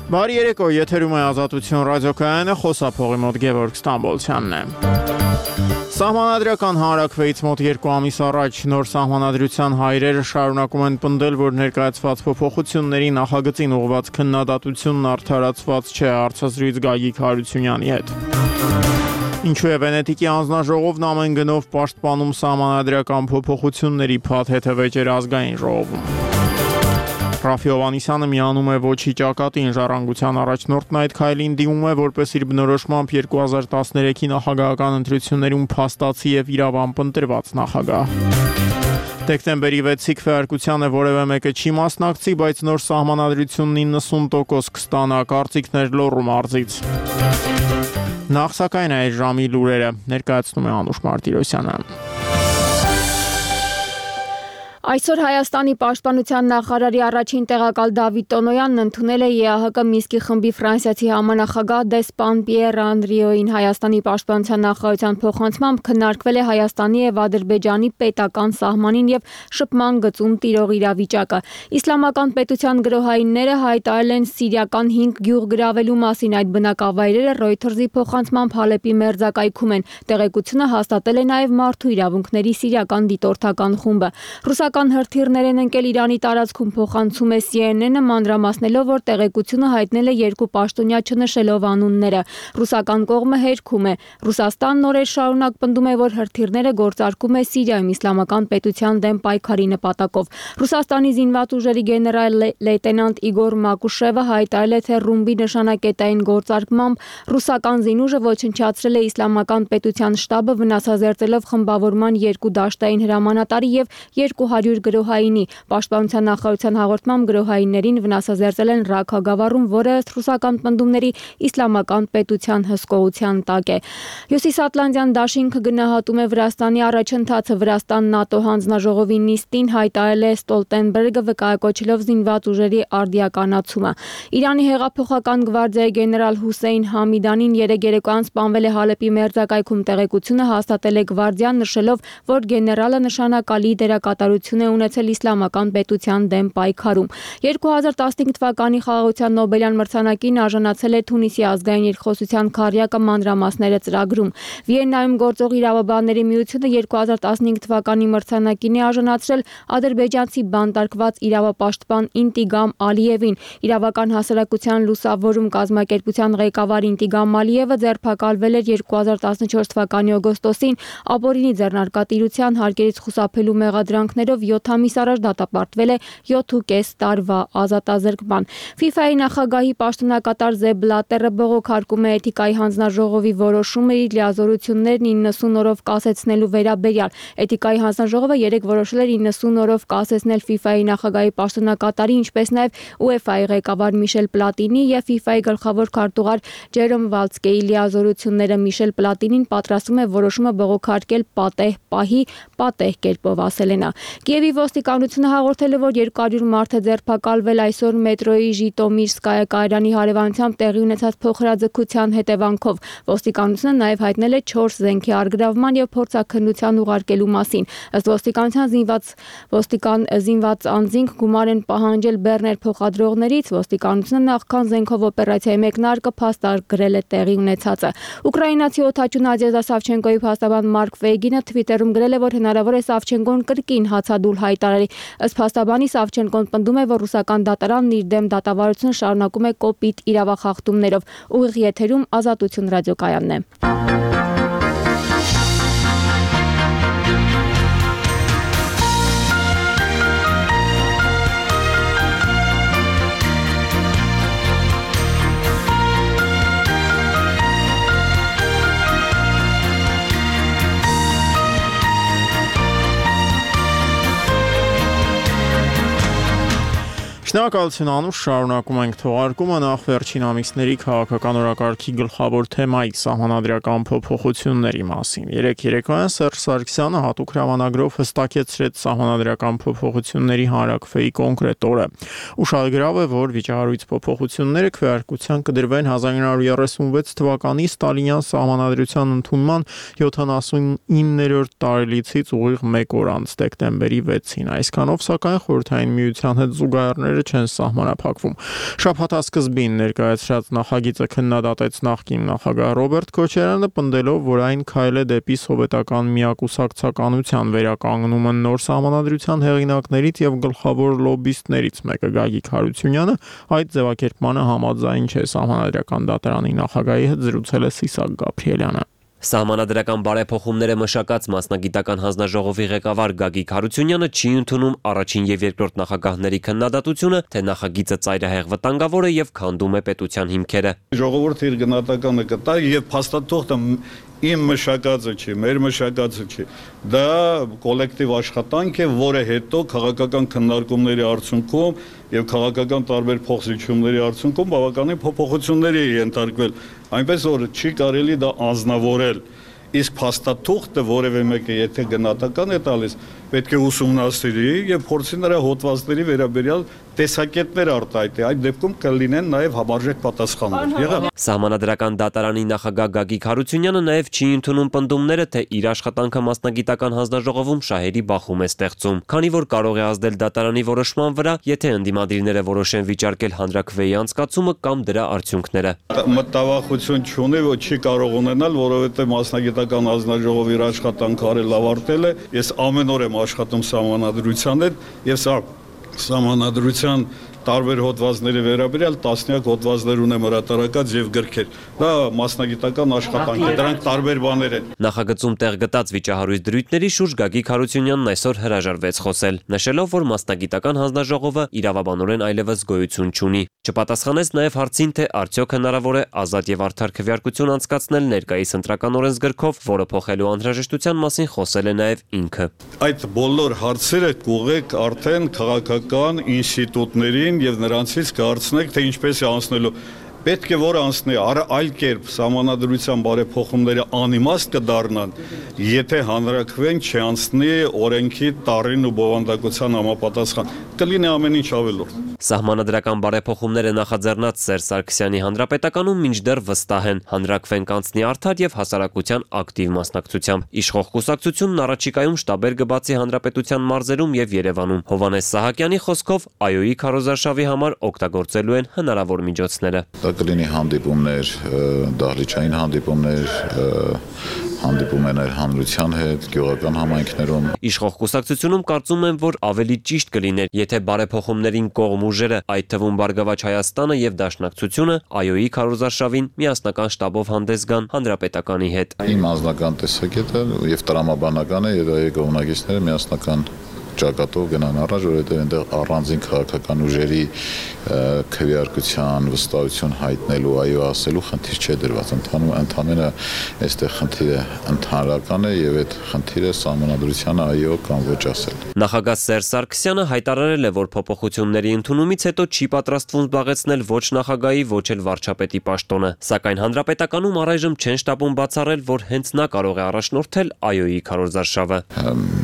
Բարի երեկո, եթերում է Ազատություն ռադիոկայանը, խոսափողի մոտ Գևորգ Ստամբոլցյանն է։ Սահմանադրական հանրաքվեից մոտ 2 ամիս առաջ նոր սահմանադրության հայրերը շարունակում են պնդել, որ ներկայացված փոփոխությունների նախագծին ուղղված քննադատությունն արդարացված չէ, հարցազրույց Գագիկ Հարությունյանի հետ։ Ինչու է Վենետիկի հանձնաժողովն ամեն գնով պաշտպանում սահմանադրական փոփոխությունների փաթեթը վեճեր ազգային ժողովում։ Ռաֆի Հովհաննիսյանը միանում է ոչի ճակատին, ժառանգության առաջնորդն այդ քայլին դիմում է, որպես իր բնորոշմամբ 2013-ի նախագահական ընտրություններում փաստացի եւ իրավամբ ընտրված նախագահ։ Դեկտեմբերի 6-ի քվեարկությանը որևէ մեկը չի մասնակցի, բայց նոր սահմանադրությունն 90% կստանա, կարծիքներ լոռու մարզից։ Նախ սակայն այս ժամի լուրերը ներկայացնում է Անուշ Մարտիրոսյանը։ Այսօր Հայաստանի պաշտպանության նախարարի առաջին տեղակալ Դավիթ Տոնոյանն ընդունել է ԵԱՀԿ Մինսկի խմբի ֆրանսիացի համանախագահ դեսպան Պիեր Անդրիոին։ Հայաստանի պաշտպանության նախարարության փոխանցմամբ քննարկվել է Հայաստանի եւ Ադրբեջանի պետական սահմանին եւ շփման գծում տիրող իրավիճակը։ Իսլամական պետության գրոհայինները հայտարարել են սիրիական 5 գյուղ գրավելու մասին։ Այդ բնակավայրերը Reuters-ի փոխանցմամբ Հալեպի մերձակայքում են։ Տեղեկությունը հաստատել է նաեւ Մարդու իրավունքների սիրիական դիտորդական խումբը։ Ռուսական հրթիռներ են ընկել Իրանի տարածքում, փոխանցում է CNN-ը, մանրամասնելով, որ տեղեկությունը հայտնել է 2 պաշտոնյա չնշելով անունները։ Ռուսական կողմը հերքում է։ Ռուսաստանն օրեր շարունակ պնդում է, որ հրթիռները գործարկում է Սիրիայում իսլամական պետության դեմ պայքարի նպատակով։ Ռուսաստանի զինված ուժերի գեներալ լեյտենանտ Իգոր Մակուշևը հայտարարել է, թե ռումբի նշանակետային գործարկմամբ ռուսական զինուժը ոչնչացրել է իսլամական պետության շտաբը, վնասազերծելով խմբավորման 2 դաշտային հրամանատարի եւ 200 գրոհայինի։ Պաշտպանության նախարարության հաղորդմամբ գրոհայիններին վնասազերծել են Ռաքա գավառում, որը ըստ ռուսական պնդումների իսլամական պետության հսկողության տակ է։ Հյուսիսատլանտյան դաշինքը գնահատում է Վրաստանի առաջընթացը։ Վրաստան-ՆԱՏՕ հանձնաժողովի նիստին հայտարարել է Ստոլտենբերգը, վկայակոչելով զինված ուժերի արդիականացումը։ Իրանի հեղափոխական գվարդիայի գեներալ Հուսեյն Համիդանին երեկոյան սպանվել է Հալեպի մերձակայքում։ Տեղեկությունը հաստատել է գվարդիան, նշելով, որ գեներալը նշանակալի դերակատարություն է ունեցել իսլամական պետության դեմ պայքարում։ 2015 թվականի խաղաղության Նոբելյան մրցանակին արժանացել է Թունիսի ազգային երկխոսության քառյակը, մանրամասները ծրագրում։ Վիեննայում գործող իրավաբանների միությունը 2015 թվականի մրցանակին է արժանացրել ադրբեջանցի բանտարկված իրավապաշտպան Ինտիգամ Ալիևին։ Իրավական հասարակության լուսավորում կազմակերպության ղեկավար Ինտիգամ Ալիևը ձերբակալվել էր 2014 թվականի օգոստոսին ապօրինի ձեռնարկատիրության հարկերից խուսափելու մեղադրանքներով 7 ամիս առաջ դատապարտվել է 7.5 տարվա ազատազրկման։ FIFA-ի նախագահի պաշտոնակատար Զեբ Բլատերը բողոքարկում է էթիկայի հանձնաժողովի որոշումը իր լիազորություններն 90 օրով կասեցնելու վերաբերյալ։ Էթիկայի հանձնաժողովը երեկ որոշել էր 90 օրով կասեցնել FIFA-ի նախագահի պաշտոնակատարի, ինչպես նաև UEFA-ի ղեկավար Միշել Պլատինի եւ FIFA-ի գլխավոր քարտուղար Ջերոմ Վալցկեի լիազորությունները։ Միշել Պլատինին պատրաստվում է որոշումը բողոքարկել պատեհ պահի, պատեհ կերպով, ասել է նա։ Կիևի ոստիկանությունը հաղորդել է, որ 200 մարդ է ձերբակալվել այսօր մետրոյի Ժիտոմիրսկայա կայարանի հարևանությամբ տեղի ունեցած փոխհրաձգության հետևանքով։ Ոստիկանությունը նաև հայտնել է 4 զենքի առգրավման եւ փորձաքննության ուղարկելու մասին։ Ըստ ոստիկանության զինված անձինք գումար են պահանջել բեռներ փոխադրողներից։ Ոստիկանությունը նախքան զենքով օպերացիայի մեկնարկը փաստագրել է տեղի ունեցածը։ Ուկրաինացի օդաչու Նադեժդա Սավչենկոյի փաստաբան Մարկ Վեյգինը Twitter-ում գրել է, որ հնարավոր է Սավչենկոն կրկին հացադուլ հայտարարի։ Ըստ փաստաբանի Սավչենկոն պնդում է, որ ռուսական դատարանն իր դեմ դատավարությունը շարունակում է կոպիտ իրավախախտումներով։ Ուղիղ եթերում Ազատություն ռադիոկայանն է։ Շնորհակալություն Անուշ, շարունակում ենք թողարկումը նախ վերջին ամիսների քաղաքական օրակարգի գլխավոր թեմայի սահմանադրական փոփոխությունների մասին։ Երեկոյան Սերժ Սարգսյանը հատուկ հրամանագրով հստակեցրեց սահմանադրական փոփոխությունների հանրաքվեի կոնկրետ օրը։ Ուշագրավ է, որ վիճահարույց փոփոխությունները քվեարկության կդրվեն 1936 թվականի Ստալինյան սահմանադրության ընդունման 79-րդ տարելիցից ուղիղ 1 օր անց, դեկտեմբերի 6-ին։ Այսքանով, սակայն, Խորհրդային Միության հետ զուգահեռներ պայմանները չեն սահմանափակվում։ Շաբաթասկզբին ներկայացրած նախագիծը քննադատեց նախկին նախագահ Ռոբերտ Քոչարյանը, պնդելով, որ այն քայլ է դեպի սովետական միակուսակցականության վերականգնումը։ Նոր սահմանադրության հեղինակներից եւ գլխավոր լոբբիստներից մեկը Գագիկ Հարությունյանը այդ ձևակերպմանը համաձայն չէ։ Սահմանադրական դատարանի նախագահի հետ զրուցել է Սիսակ Գաբրիելյանը։ Սահմանադրական բարեփոխումները մշակած մասնագիտական հանձնաժողովի ղեկավար Գագիկ Հարությունյանը չի ընդունում առաջին եւ երկրորդ նախագահների քննադատությունը, թե նախագիծը ծայրահեղ վտանգավոր է եւ քանդում է պետության հիմքերը։ Ժողովուրդը իր գնահատականը կտա եւ փաստաթուղթը իմ մշակածը չի, մեր մշակածը չի։ Դա կոլեկտիվ աշխատանք է, որը հետո քաղաքական քննարկումների արդյունքում եւ քաղաքական տարբեր փոխզիջումների արդյունքում բավականին փոփոխությունների է ենթարկվել, այնպես որ չի կարելի դա անձնավորել։ Իսկ փաստաթուղթը որևէ մեկը եթե գնահատական է տալիս, պետք է ուսումնասիրի եւ փորձի նրա հոդվածների վերաբերյալ տեսակետներ արտահայտի, այդ դեպքում կլինեն նաև համարժեք պատասխաններ։ Սահմանադրական դատարանի նախագահ Գագիկ Հարությունյանը նաև չի ընդունում պնդումները, թե իր աշխատանքը մասնագիտական հանձնաժողովում շահերի բախում է ստեղծում, քանի որ կարող է ազդել դատարանի որոշման վրա, եթե ընդդիմադիրները որոշեն վիճարկել հանրաքվեի անցկացումը կամ դրա արդյունքները։ Մտավախություն չունի, որ չի կարող ունենալ, որովհետև մասնագիտական հանձնաժողովի իր աշխատանքը արել ավարտել է։ Ես ամեն օր եմ աշխատում սահմանադրության հետ եւ սա սահմանադրության տարբեր հոդվածների վերաբերյալ տասնյակ հոդվածներ ունեմ հրատարակած եւ գրքեր։ Դա մասնագիտական աշխատանք է, դրանք տարբեր բաներ են։ Նախագծում տեղ գտած վիճահարույց դրույթների շուրջ Գագիկ Հարությունյանն այսօր հրաժարվեց խոսել, նշելով, որ մասնագիտական հանձնաժողովը իրավաբանորեն այլևս գոյություն չունի։ Չպատասխանեց նաև հարցին, թե արդյոք հնարավոր է ազատ եւ արդար քվեարկություն անցկացնել ներկայիս ընտրական օրենսգրքով, որը փոխելու անհրաժեշտության մասին խոսել է նաև ինքը։ Այդ բոլոր հարցերը կուղեք արդեն քաղաքական ինստիտուտներին եւ նրանցից կհարցնեք, թե ինչպես է անցնելու։ Պետք է որ անցնի այլ կերպ սահմանադրության բարեփոխումները անիմաստ կդառնան, եթե հանրաքվեն չանցնի օրենքի տառին ու բովանդակության համապատասխան, կլինի ամեն ինչ ավելորդ։ Սահմանադրական բարեփոխումները նախաձեռնած Սերժ Սարգսյանի հանրապետականում մինչդեռ վստահ են, հանրաքվեն կանցնի արդար եւ հասարակության ակտիվ մասնակցությամբ։ Իշխող կուսակցությունն առաջիկայում շտաբեր կբացի հանրապետության մարզերում եւ Երևանում։ Հովհաննես Սահակյանի խոսքով ԱՅՈ-ի քարոզարշավի համար օգտագործելու են հնարավոր միջոցները։ Կլինի հանդիպումներ, դահլիճային հանդիպումներ, հանդիպումներ հանրության հետ, գյուղական համայնքներում։ Իշխող կուսակցությունում կարծում են, որ ավելի ճիշտ կլիներ, եթե բարեփոխումներին կողմ ուժերը, այդ թվում Բարգավաճ Հայաստանը եւ Դաշնակցությունը ԱՅՈ-ի քարոզարշավին միասնական շտաբով հանդես գան հանրապետականի հետ։ Իմ անձնական տեսակետը եւ տրամաբանական է, եւ այդ կողմնակիցները միասնական ճակատով գնան առաջ, որովհետև այնտեղ առանձին քաղաքական ուժերի քվեարկության վստահություն հայտնելու, այո ասելու խնդիր չէ դրված, ընդհանրապես այստեղ խնդիրը ընդհանրական է եւ այդ խնդիրը սահմանադրությանը այո կամ ոչ ասել։ Նախագահ Սերժ Սարգսյանը հայտարարել է, որ փոփոխությունների ընդունումից հետո չի պատրաստվում զբաղեցնել ոչ նախագահի, ոչ էլ վարչապետի պաշտոնը, սակայն հանրապետականում առայժմ չեն շտապում բացառել, որ հենց նա կարող է առաջնորդել ԱՅՈ-ի քարոզարշավը։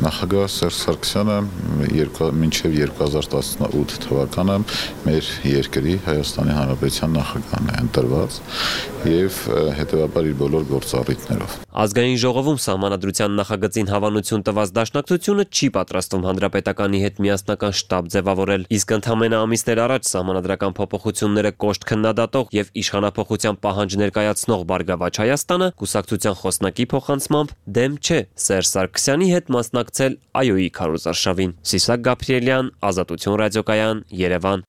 Նախագահ Սերժ Սարգսյանը մինչև 2018 թվականը մեր երկրի Հայաստանի Հանրապետության նախագահն է ընտրված եւ հետեւաբար իր բոլոր գործառույթներով։ Ազգային ժողովում սահմանադրության նախագծին հավանություն տված Դաշնակցությունը չի պատրաստվում հանրապետականի հետ միասնական շտաբ ձևավորել, իսկ ընդամենը ամիսներ առաջ սահմանադրական փոփոխությունները կոշտ քննադատող եւ իշխանափոխության պահանջ ներկայացնող Բարգավաճ Հայաստանը կուսակցության խոսնակի փոխանցմամբ դեմ չէ Սերժ Սարգսյանի հետ մասնակցել ԱՅՈ-ի քարոզարշավին։ Սիսակ Գաբրիելյան, Ազատություն ռադիոկայան, Երևան։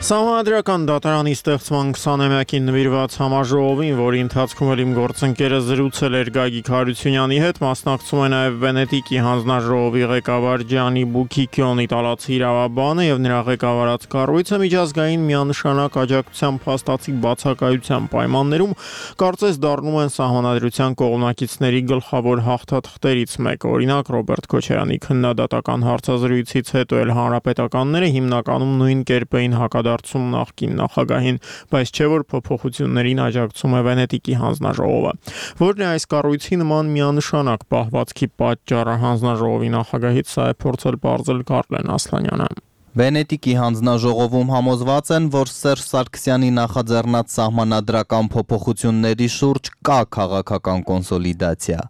Սահմանադրական դատարանի ստեղծման 20-ամյակին նվիրված համաժողովին, որի ընթացքում էլ իմ գործընկերը զրուցել էր Գագիկ Հարությունյանի հետ, մասնակցում է նաև Վենետիկի հանձնաժողովի ղեկավար Ջանի Բուքիկյոն, իտալացի իրավաբանը եւ նրա ղեկավարած կառույցը միջազգային միանշանակ աջակցության փաստացի բացակայության պայմաններում կարծես դառնում են սահմանադրության կողմնակիցների գլխավոր հաղթաթղթերից մեկը։ Օրինակ Ռոբերտ Քոչարյանի քննադատական հարցազրույցից հետո էլ հանրապետականները հիմնականում նույն կերպ էին հակադարձում նախկին նախագահին, բայց չէ որ փոփոխություններին աջակցում է Վենետիկի հանձնաժողովը։ Որն է այս կառույցի նման միանշանակ պահվածքի պատճառը հանձնաժողովի նախագահից սա է փորձել պարզել Կարլեն Ասլանյանը։ Վենետիկի հանձնաժողովում համոզված են, որ Սերժ Սարգսյանի նախաձեռնած սահմանադրական փոփոխությունների շուրջ կա քաղաքական կոնսոլիդացիա։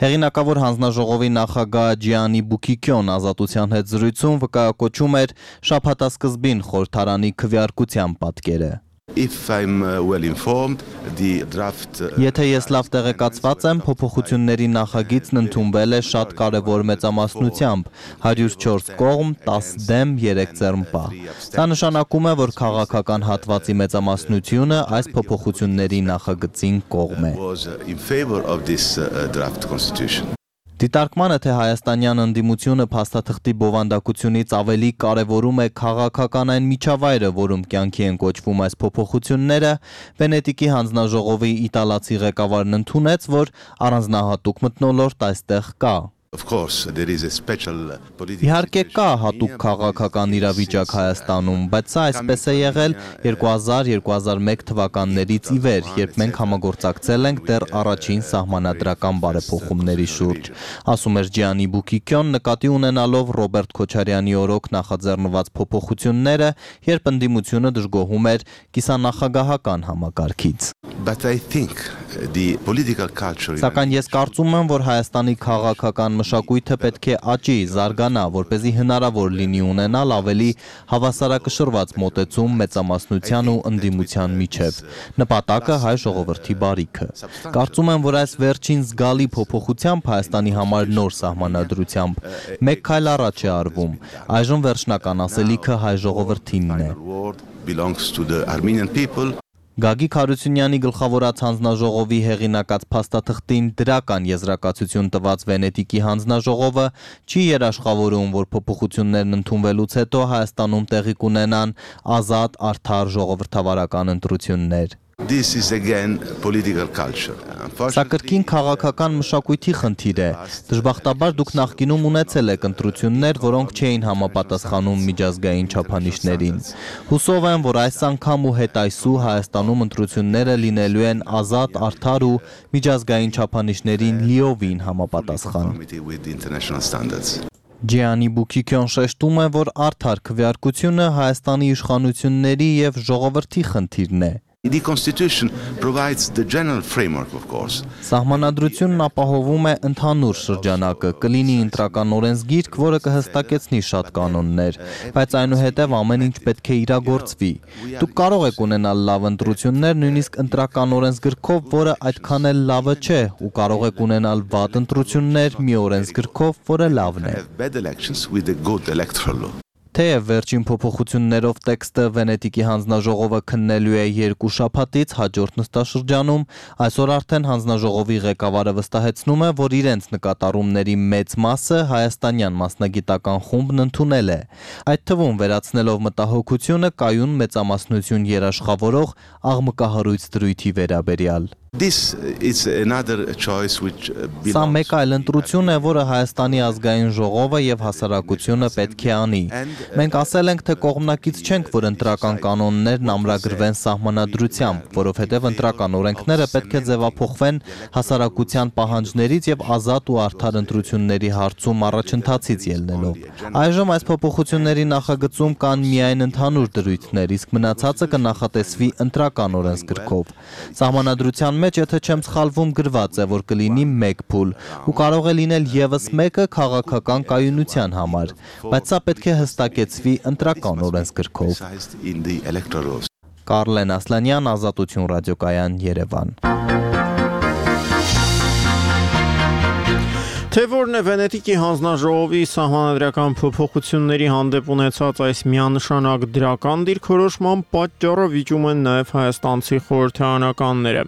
Հեղինակավոր հանձնաժողովի նախագահ Ջիանի Բուկիկյոն Ազատության հետ զրույցում վկայակոչում էր շաբաթասկզբին խորհրդարանի քվեարկության պատկերը։ Եթե ես լավ տեղեկացված եմ, փոփոխությունների նախագիծն ընդունվել է շատ կարևոր մեծամասնությամբ, 104 կողմ, 10 դեմ, 3 ձեռնպա։ Դա նշանակում է, որ քաղաքական հատվածի մեծամասնությունը այս փոփոխությունների նախագծին կողմ է։ Դիտարկմանը, թե հայաստանյան ընդդիմությունը փաստաթղթի բովանդակությունից ավելի կարևորում է քաղաքական այն միջավայրը, որում կյանքի են կոչվում այս փոփոխությունները, Վենետիկի հանձնաժողովի իտալացի ղեկավարն ընդունեց, որ առանձնահատուկ մթնոլորտ այստեղ կա։ Իհարկե կա հատուկ քաղաքական իրավիճակ Հայաստանում, բայց սա այսպես է եղել 2000-2001 թվականներից ի վեր, երբ մենք համագործակցել ենք դեռ առաջին սահմանադրական բարեփոխումների շուրջ, ասում էր Ջիանի Բուկիկյոն, նկատի ունենալով Ռոբերտ Քոչարյանի օրոք նախաձեռնված փոփոխությունները, երբ ընդդիմությունը դժգոհում էր կիսանախագահական համակարգից։ Սակայն ես կարծում եմ, որ Հայաստանի քաղաքական մշակույթը պետք է աճի, զարգանա, որպեսզի հնարավոր լինի ունենալ ավելի հավասարակշռված մոտեցում մեծամասնության ու ընդդիմության միջև։ Նպատակը հայ ժողովրդի բարիքը։ Կարծում եմ, որ այս վերջին զգալի փոփոխությամբ Հայաստանի համար նոր սահմանադրությամբ մեկ քայլ առաջ է արվում։ Այժմ վերջնական ասելիքը հայ ժողովրդինն է։ Գագիկ Հարությունյանի գլխավորած հանձնաժողովի հեղինակած փաստաթղթին դրական եզրակացություն տված Վենետիկի հանձնաժողովը չի երաշխավորում, որ փոփոխություններն ընդունվելուց հետո Հայաստանում տեղի կունենան ազատ, արդար ժողովրդավարական ընտրություններ։ Սա կրկին քաղաքական մշակույթի խնդիր է։ Դժբախտաբար դուք նախկինում ունեցել եք ընտրություններ, որոնք չէին համապատասխանում միջազգային չափանիշներին։ Հուսով եմ, որ այս անգամ ու հետայսու Հայաստանում ընտրությունները լինելու են ազատ, արդար ու միջազգային չափանիշներին լիովին համապատասխան։ Ջիանի Բուկիկյոն շեշտում է, որ արդար քվեարկությունը Հայաստանի իշխանությունների եւ ժողովրդի խնդիրն է։ Սահմանադրությունն ապահովում է ընդհանուր շրջանակը, կլինի ընտրական օրենսգիրք, որը կհստակեցնի շատ կանոններ, բայց այնուհետև ամեն ինչ պետք է իրագործվի։ Դուք կարող եք ունենալ լավ ընտրություններ, նույնիսկ ընտրական օրենսգրքով, որը այդքան էլ լավը չէ, ու կարող եք ունենալ վատ ընտրություններ մի օրենսգրքով, որը լավն է։ Թեև վերջին փոփոխություններով տեքստը Վենետիկի հանձնաժողովը քննելու է 2 շաբաթից հաջորդ նստաշրջանում, այսօր արդեն հանձնաժողովի ղեկավարը վստահեցնում է, որ իրենց նկատառումների մեծ մասը հայաստանյան մասնագիտական խումբն ընդունել է, այդ թվում վերացնելով մտահոգությունը կայուն մեծամասնություն երաշխավորող աղմկահարույց դրույթի վերաբերյալ։ Սա մեկ այլ ընտրություն է, որը Հայաստանի ազգային ժողովը եւ հասարակությունը պետք է անի։ Մենք ասել ենք, թե կողմնակից չենք, որ ընտրական կանոններն ամրագրվեն սահմանադրությամբ, որովհետեւ ընտրական օրենքները պետք է ձևափոխվեն հասարակության պահանջներից եւ ազատ ու արդար ընտրությունների հարցում առաջընթացից ելնելով։ Այժմ այս փոփոխությունների նախագծում կան միայն ընդհանուր դրույթներ, իսկ մնացածը կնախատեսվի ընտրական օրենսգրքով։ Սահմանադրության մեջ, եթե չեմ սխալվում, գրված է, որ կլինի 1 փուլ, ու կարող է լինել եւս մեկը քաղաքական կայունության համար, բայց սա պետք է հստակեցվի ընտրական օրենսգրքով։ Կարլեն Ասլանյան, Ազատություն ռադիոկայան, Երևան։ Թե որն է Վենետիկի հանձնաժողովի սահմանադրական փոփոխությունների հանդեպ ունեցած այս միանշանակ դրական դիրքորոշման պատճառը վիճում են նաև հայաստանցի խորհրդարանականները։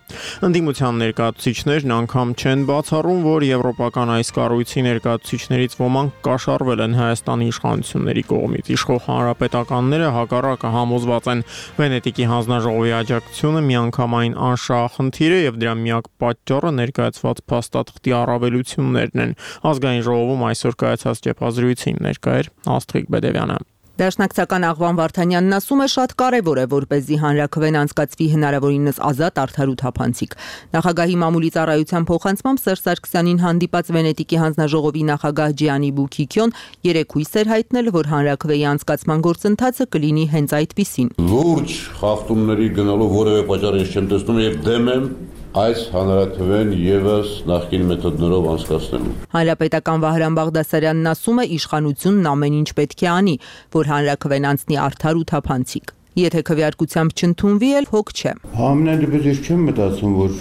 Ընդդիմության ներկայացուցիչներն անգամ չեն բացառում, որ եվրոպական այս կառույցի ներկայացուցիչներից ոմանք կաշառվել են Հայաստանի իշխանությունների կողմից։ Իշխող հանրապետականները հակառակը համոզված են Վենետիկի հանձնաժողովի աջակցությունը միանգամայն անշահախնդիր է եւ դրա միակ պատճառը ներկայացված փաստաթղթի առավելություններն են։ Ազգային ժողովում այսօր կայացած ճեպազրույցին ներկա էր Աստղիկ Բեդևյանը։ Դաշնակցական Աղվան Վարդանյանն ասում է, շատ կարևոր է, որպեսզի հանրաքվեն անցկացվի հնարավորինս ազատ, արդար ու թափանցիկ։ Նախագահի մամուլի ծառայության փոխանցմամբ Սերժ Սարգսյանին հանդիպած Վենետիկի հանձնաժողովի նախագահ Ջիանի Բուքիկյոն երեքույս էր հայտնել, որ հանրաքվեի անցկացման գործընթացը կլինի հենց այդպիսին։ Լուրջ խախտումների գնալու որևէ պատճառ ես չեմ տեսնում եւ դեմ եմ այս հանրաքվեն եւս նախկին մեթոդներով անցկացնելու։ Հանրապետական Վահրամ Բաղդասարյանն ասում է, իշխանությունն ամեն ինչ պետք է անի, որ հանրաքվեն անցնի արդար ու թափանցիկ։ Եթե քվեարկությամբ չընդունվի, էլ հոգ չէ։ Համենայն դեպս ես չեմ մտածում, որ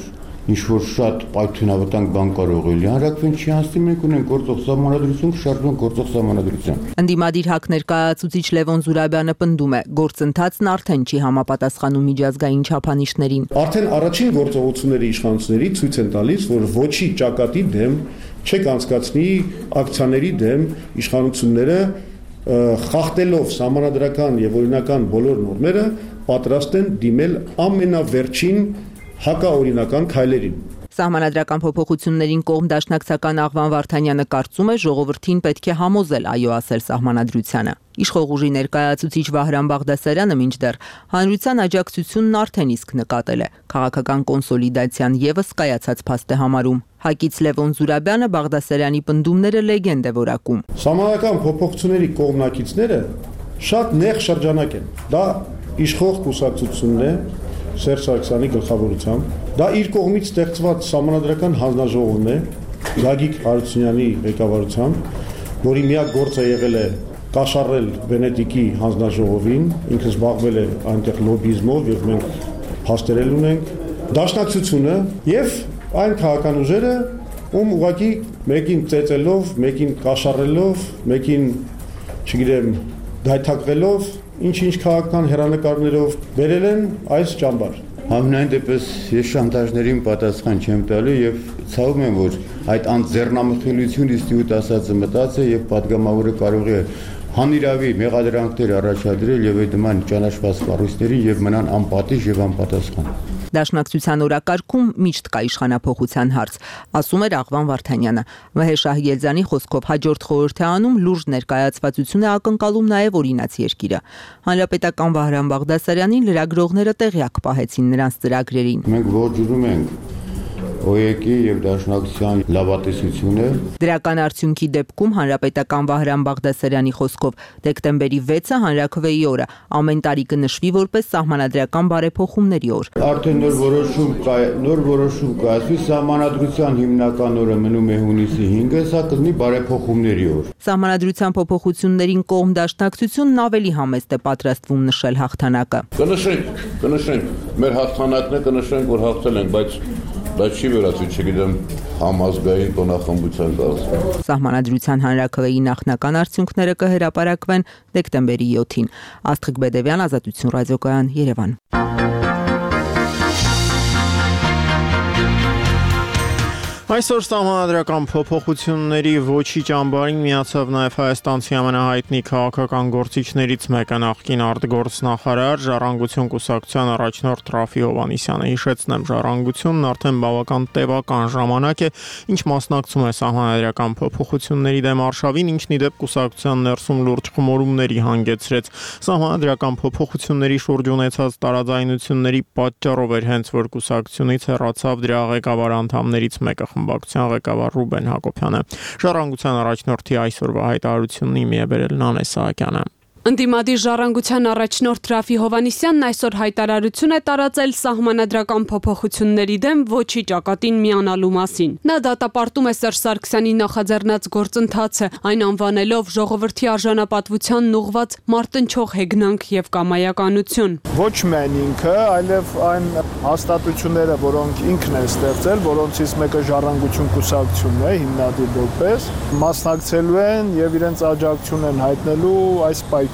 ինչ-որ շատ պայթյունավտանգ բան կարող է լինի։ Հանրաքվեն չի անցնի, մենք ունենք գործող սահմանադրություն, շարժման գործող սահմանադրություն։ Ընդդիմադիր ՀԱԿ ներկայացուցիչ Լևոն Զուրաբյանը պնդում է, գործընթացն արդեն չի համապատասխանում միջազգային չափանիշներին։ Արդեն առաջին գործողությունների իշխանությունների ցույց են տալիս, որ ոչի ճակատի դեմ չեք անցկացնի ակցիաների դեմ իշխանությունները խախտելով սահմանադրական եւ օրինական բոլոր նորմերը պատրաստ են դիմել ամենավերջին հակաօրինական քայլերին։ Սահմանադրական փոփոխություններին կողմ դաշնակցական Աղվան Վարդանյանը կարծում է, ժողովրդին պետք է համոզել այո ասել սահմանադրությանը։ Իշխող ուժի ներկայացուցիչ Վահրամ Բաղդասարյանը մինչդեռ հանրության աջակցությունն արդեն իսկ նկատել է, քաղաքական կոնսոլիդացիան եւս կայացած փաստ է համարում։ ՀԱԿ-ից Լևոն Զուրաբյանը Բաղդասարյանի պնդումները լեգենդ է որակում։ Սահմանադրական փոփոխությունների կողմնակիցները շատ նեղ շրջանակ են։ Դա իշխող կուսակցությունն է Սերժ Սարգսյանի գլխավորությամբ, դա իր կողմից ստեղծված սահմանադրական հանձնաժողովն է Գագիկ Հարությունյանի ղեկավարությամբ, որի միակ գործը եղել է կաշառել Վենետիկի հանձնաժողովին, ինքը զբաղվել է այնտեղ լոբիզմով եւ մենք փաստերել ունենք, դաշնակցությունը եւ այն քաղաքական ուժերը, ում ուղղակի մեկին ծեծելով, մեկին կաշառելով, մեկին, չգիտեմ, դայթակվելով ինչ-ինչ քաղաքական հերանեկարներով բերել են այս ճամբար։ Համենայն դեպս ես շանտաժներին պատասխան չեմ տալու եւ ցավում եմ, որ այդ անձեռնամխելիություն ինստիտուտ ասածը մտած է եւ падգամավորը կարող է հանիրավի մեղադրանքներ առաջադրել եւ այդ նման ճանաչված կառույցներին եւ մնան անպատիժ եւ անպատասխան։ Դաշնակցության օրակարգում միշտ կա իշխանափոխության հարց, ասում էր Աղվան Վարդանյանը։ Վահե Շահյելձյանի խոսքով հաջորդ խորհրդարանում լուրջ ներկայացվածություն է ակնկալում նաև օրինաց երկիրը։ Հանրապետական Վահրամ Բաղդասարյանին լրագրողները տեղյակ պահեցին նրանց ծրագրերին։ Մենք ողջունում ենք ՕԵԿ-ի եւ Դաշնակցության լավատեսությունը։ Դրական արդյունքի դեպքում հանրապետական Վահրամ Բաղդասարյանի խոսքով դեկտեմբերի 6-ը հանրաքվեի օրը ամեն տարի կնշվի որպես սահմանադրական բարեփոխումների օր։ Արդեն նոր որոշում կայացվի, սահմանադրության հիմնական օրը մնում է հունիսի 5-ը, սա կլինի բարեփոխումների օր։ Սահմանադրության փոփոխություններին կողմ դաշնակցությունն ավելի համեստ է պատրաստվում նշել հաղթանակը։ Կնշենք, մեր հաղթանակն է, կնշենք, որ հաղթել ենք, բայց դա չի վերածվի, չգիտեմ, համազգային տոնախմբության կազմում։ Սահմանադրության հանրաքվեի նախնական արդյունքները կհրապարակվեն դեկտեմբերի 7-ին։ Աստղիկ Բեդևյան, Ազատություն ռադիոկայան, Երևան։ Այսօր սահմանադրական փոփոխությունների ոչի ճամբարին միացավ նաև հայաստանցի ամենահայտնի քաղաքական գործիչներից մեկը նախկին արտգործնախարար Ժառանգություն կուսակցության առաջնորդ Ռաֆի Հովհաննիսյանը։ Հիշեցնեմ, Ժառանգությունն արդեն բավական տևական ժամանակ է, ինչ մասնակցում է սահմանադրական փոփոխությունների դեմ արշավին, ինչն ի դեպ կուսակցության ներսում լուրջ խմորումների հանգեցրեց։ Սահմանադրական փոփոխությունների շուրջ ունեցած տարաձայնությունների պատճառով էր հենց որ կուսակցությունից հեռացավ դրա ղեկավար անդամներից մեկը խմբակցության ղեկավար Ռուբեն Հակոբյանը։ Ժառանգության առաջնորդի այսօրվա հայտարարությունն իմի է բերել Նանե Սահակյանը։ Ընդդիմադիր Ժառանգության առաջնորդ Ռաֆի Հովհաննիսյանն այսօր հայտարարություն է տարածել սահմանադրական փոփոխությունների դեմ ոչի ճակատին միանալու մասին։ Նա դատապարտում է Սերժ Սարգսյանի նախաձեռնած գործընթացը, այն անվանելով ժողովրդի արժանապատվությանն ուղղված մարտնչող հեգնանք եւ կամայականություն։ Ոչ միայն ինքը, այլև այն հաստատությունները, որոնք ինքն է ստեղծել, որոնցից մեկը Ժառանգություն կուսակցությունն է, հիմնադիր որպես, մասնակցելու են եւ իրենց աջակցություն են հայտնելու այս պայքարին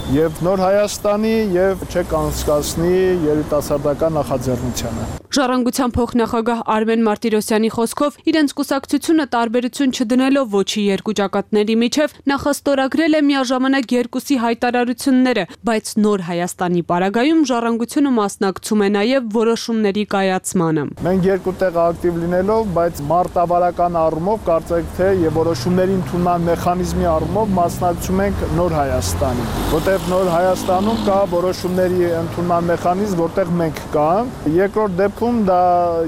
եւ Նոր Հայաստանի եւ չեք անցկացնի երիտասարդական նախաձեռնությանը։ Ժառանգության փոխնախագահ Արմեն Մարտիրոսյանի խոսքով իրենց կուսակցությունը տարբերություն չդնելով ոչի երկու ճակատների միջև նախաստորագրել է միաժամանակ երկուսի հայտարարությունները, բայց նոր Հայաստանի պարագայում ժառանգությունը մասնակցում է նաև որոշումների կայացմանը։ Մենք երկու տեղ ակտիվ լինելով, բայց մարտավարական առումով կարծեք թե եւ որոշումների ընդունման մեխանիզմի առումով մասնակցում ենք նոր Հայաստանի, որտեղ նոր Հայաստանում կա որոշումների ընդունման մեխանիզմ, որտեղ մենք կանք։ Երկրորդ դեպքում դա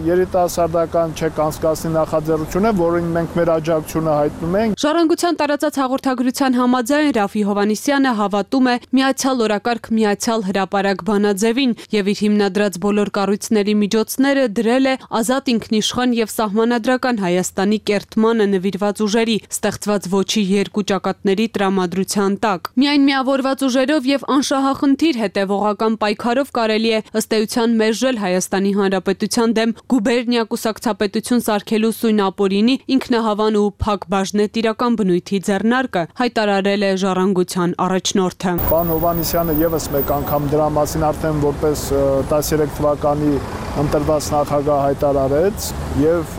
երիտասարդական չեք անցկացնի նախաձեռնություն է, որին մենք մեր աջակցությունը հայտնում ենք։ Ժառանգության տարածած հաղորդագրության համաձայն Ռաֆի Հովհաննիսյանը հավատում է միացյալ օրակարգ, միացյալ հրապարակ բանաձևին եւ իր հիմնադրած բոլոր կառույցների միջոցները դրել է ազատ ինքնիշխան եւ սահմանադրական Հայաստանի կերտմանը նվիրված ուժերի, ստեղծված ոչի երկու ճակատների տրամադրության տակ։ Միայն միավորված ուժերով եւ անշահախնդիր հետեւողական պայքարով կարելի է ըստ էության մերժել Հայաստանի Հանրապետության դեմ գուբերնիա կուսակցապետություն սարքելու սույն ապօրինի ինքնահավան ու փակ բաժնետիրական բնույթի ձեռնարկը, հայտարարել է Ժառանգության առաջնորդը։ Պարոն Հովհաննիսյանը եւս մեկ անգամ դրա մասին արդեն որպես 13 թվականի ընտրված նախագահ հայտարարեց եւ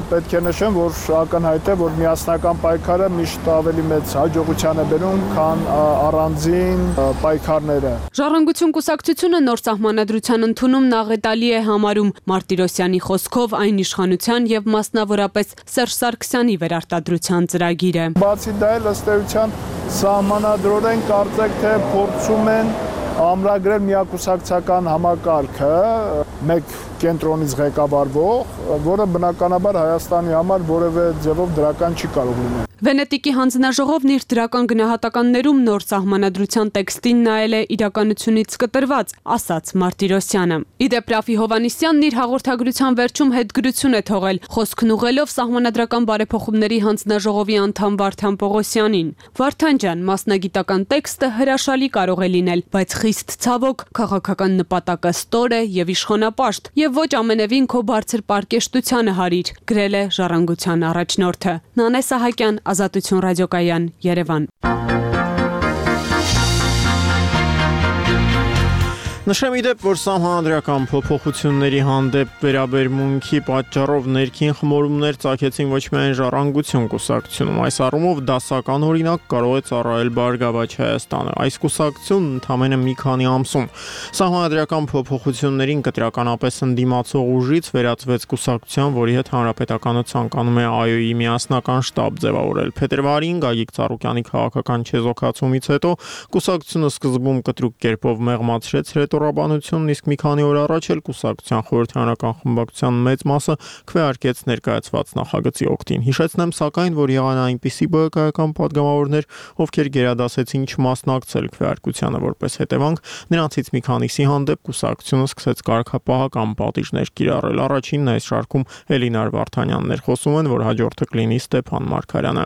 պետք է նշեմ, որ ակնհայտ է, որ միասնական պայքարը միշտ ավելի մեծ հաջողության է բերում, քան առանձին պայքարները։ Ժառանգություն կուսակցությունը նոր սահմանադրության ընդունումն աղետալի է համարում Մարտիրոսյանի խոսքով այն իշխանության եւ մասնավորապես Սերժ Սարգսյանի վերարտադրության ծրագիրը։ Բացի դա էլ ըստ էության սահմանադրորեն կարծեք թե փորձում են ամրագրել միակուսակցական համակարգը մեկ կենտրոնից ղեկավարվող, որը բնականաբար Հայաստանի համար որևէ ձևով դրական չի կարող լինել։ Վենետիկի հանձնաժողովն իր դրական գնահատականներում նոր սահմանադրության տեքստին նայել է իրականությունից կտրված, ասաց Մարտիրոսյանը։ Իդեպ Ռաֆի Հովհաննիսյանն իր հաղորդագրության վերջում հետգրություն է թողել, խոսքն ուղղելով սահմանադրական բարեփոխումների հանձնաժողովի անդամ Վարդան Պողոսյանին։ Վարդան ջան, մասնագիտական տեքստը հրաշալի կարող է լինել, բայց խիստ ցավոք քաղաքական նպատակը ստոր է եւ իշխանապաշտ եւ ոչ ամենևին քո բարձր պարկեշտությանը հարիր, գրել է Ժառանգության առաջնորդը։ Նանե Սահակյան, Ազատություն ռադիոկայան, Երևան։ Նշեմ իդեպ, որ սահմանադրական փոփոխությունների հանդեպ վերաբերմունքի պատճառով ներքին խմորումներ ծագեցին ոչ միայն Ժառանգություն կուսակցությունում, այս առումով դասական օրինակ կարող է ծառայել Բարգավաճ Հայաստանը։ Այս կուսակցությունն ընդամենը մի քանի ամսում սահմանադրական փոփոխություններին կտրականապես ընդդիմացող ուժից վերածվեց կուսակցության, որի հետ Հանրապետականը ցանկանում է ԱՅՈ-ի միասնական շտաբ ձևավորել։ Փետրվարին Գագիկ Ծառուկյանի քաղաքական չեզոքացումից հետո կուսակցությունը սկզբում կտրուկ կերպով մեղմացրեց հռետորաբանությունն, իսկ մի քանի օր առաջ էլ կուսակցության խորհրդարանական խմբակցության մեծ մասը քվեարկեց ներկայացված նախագծի օգտին։ Հիշեցնեմ սակայն, որ եղան այնպիսի ԲՀԿ-ական падգամավորներ, ովքեր գերադասեցին չմասնակցել քվեարկությանը, որպես հետևանք նրանցից մի քանիսի հանդեպ կուսակցությունը սկսեց կարգապահական պատիժներ կիրառել։ Առաջինն այս շարքում Էլինար Վարդանյանն էր, խոսում են, որ հաջորդը կլինի Ստեփան Մարգարյանը։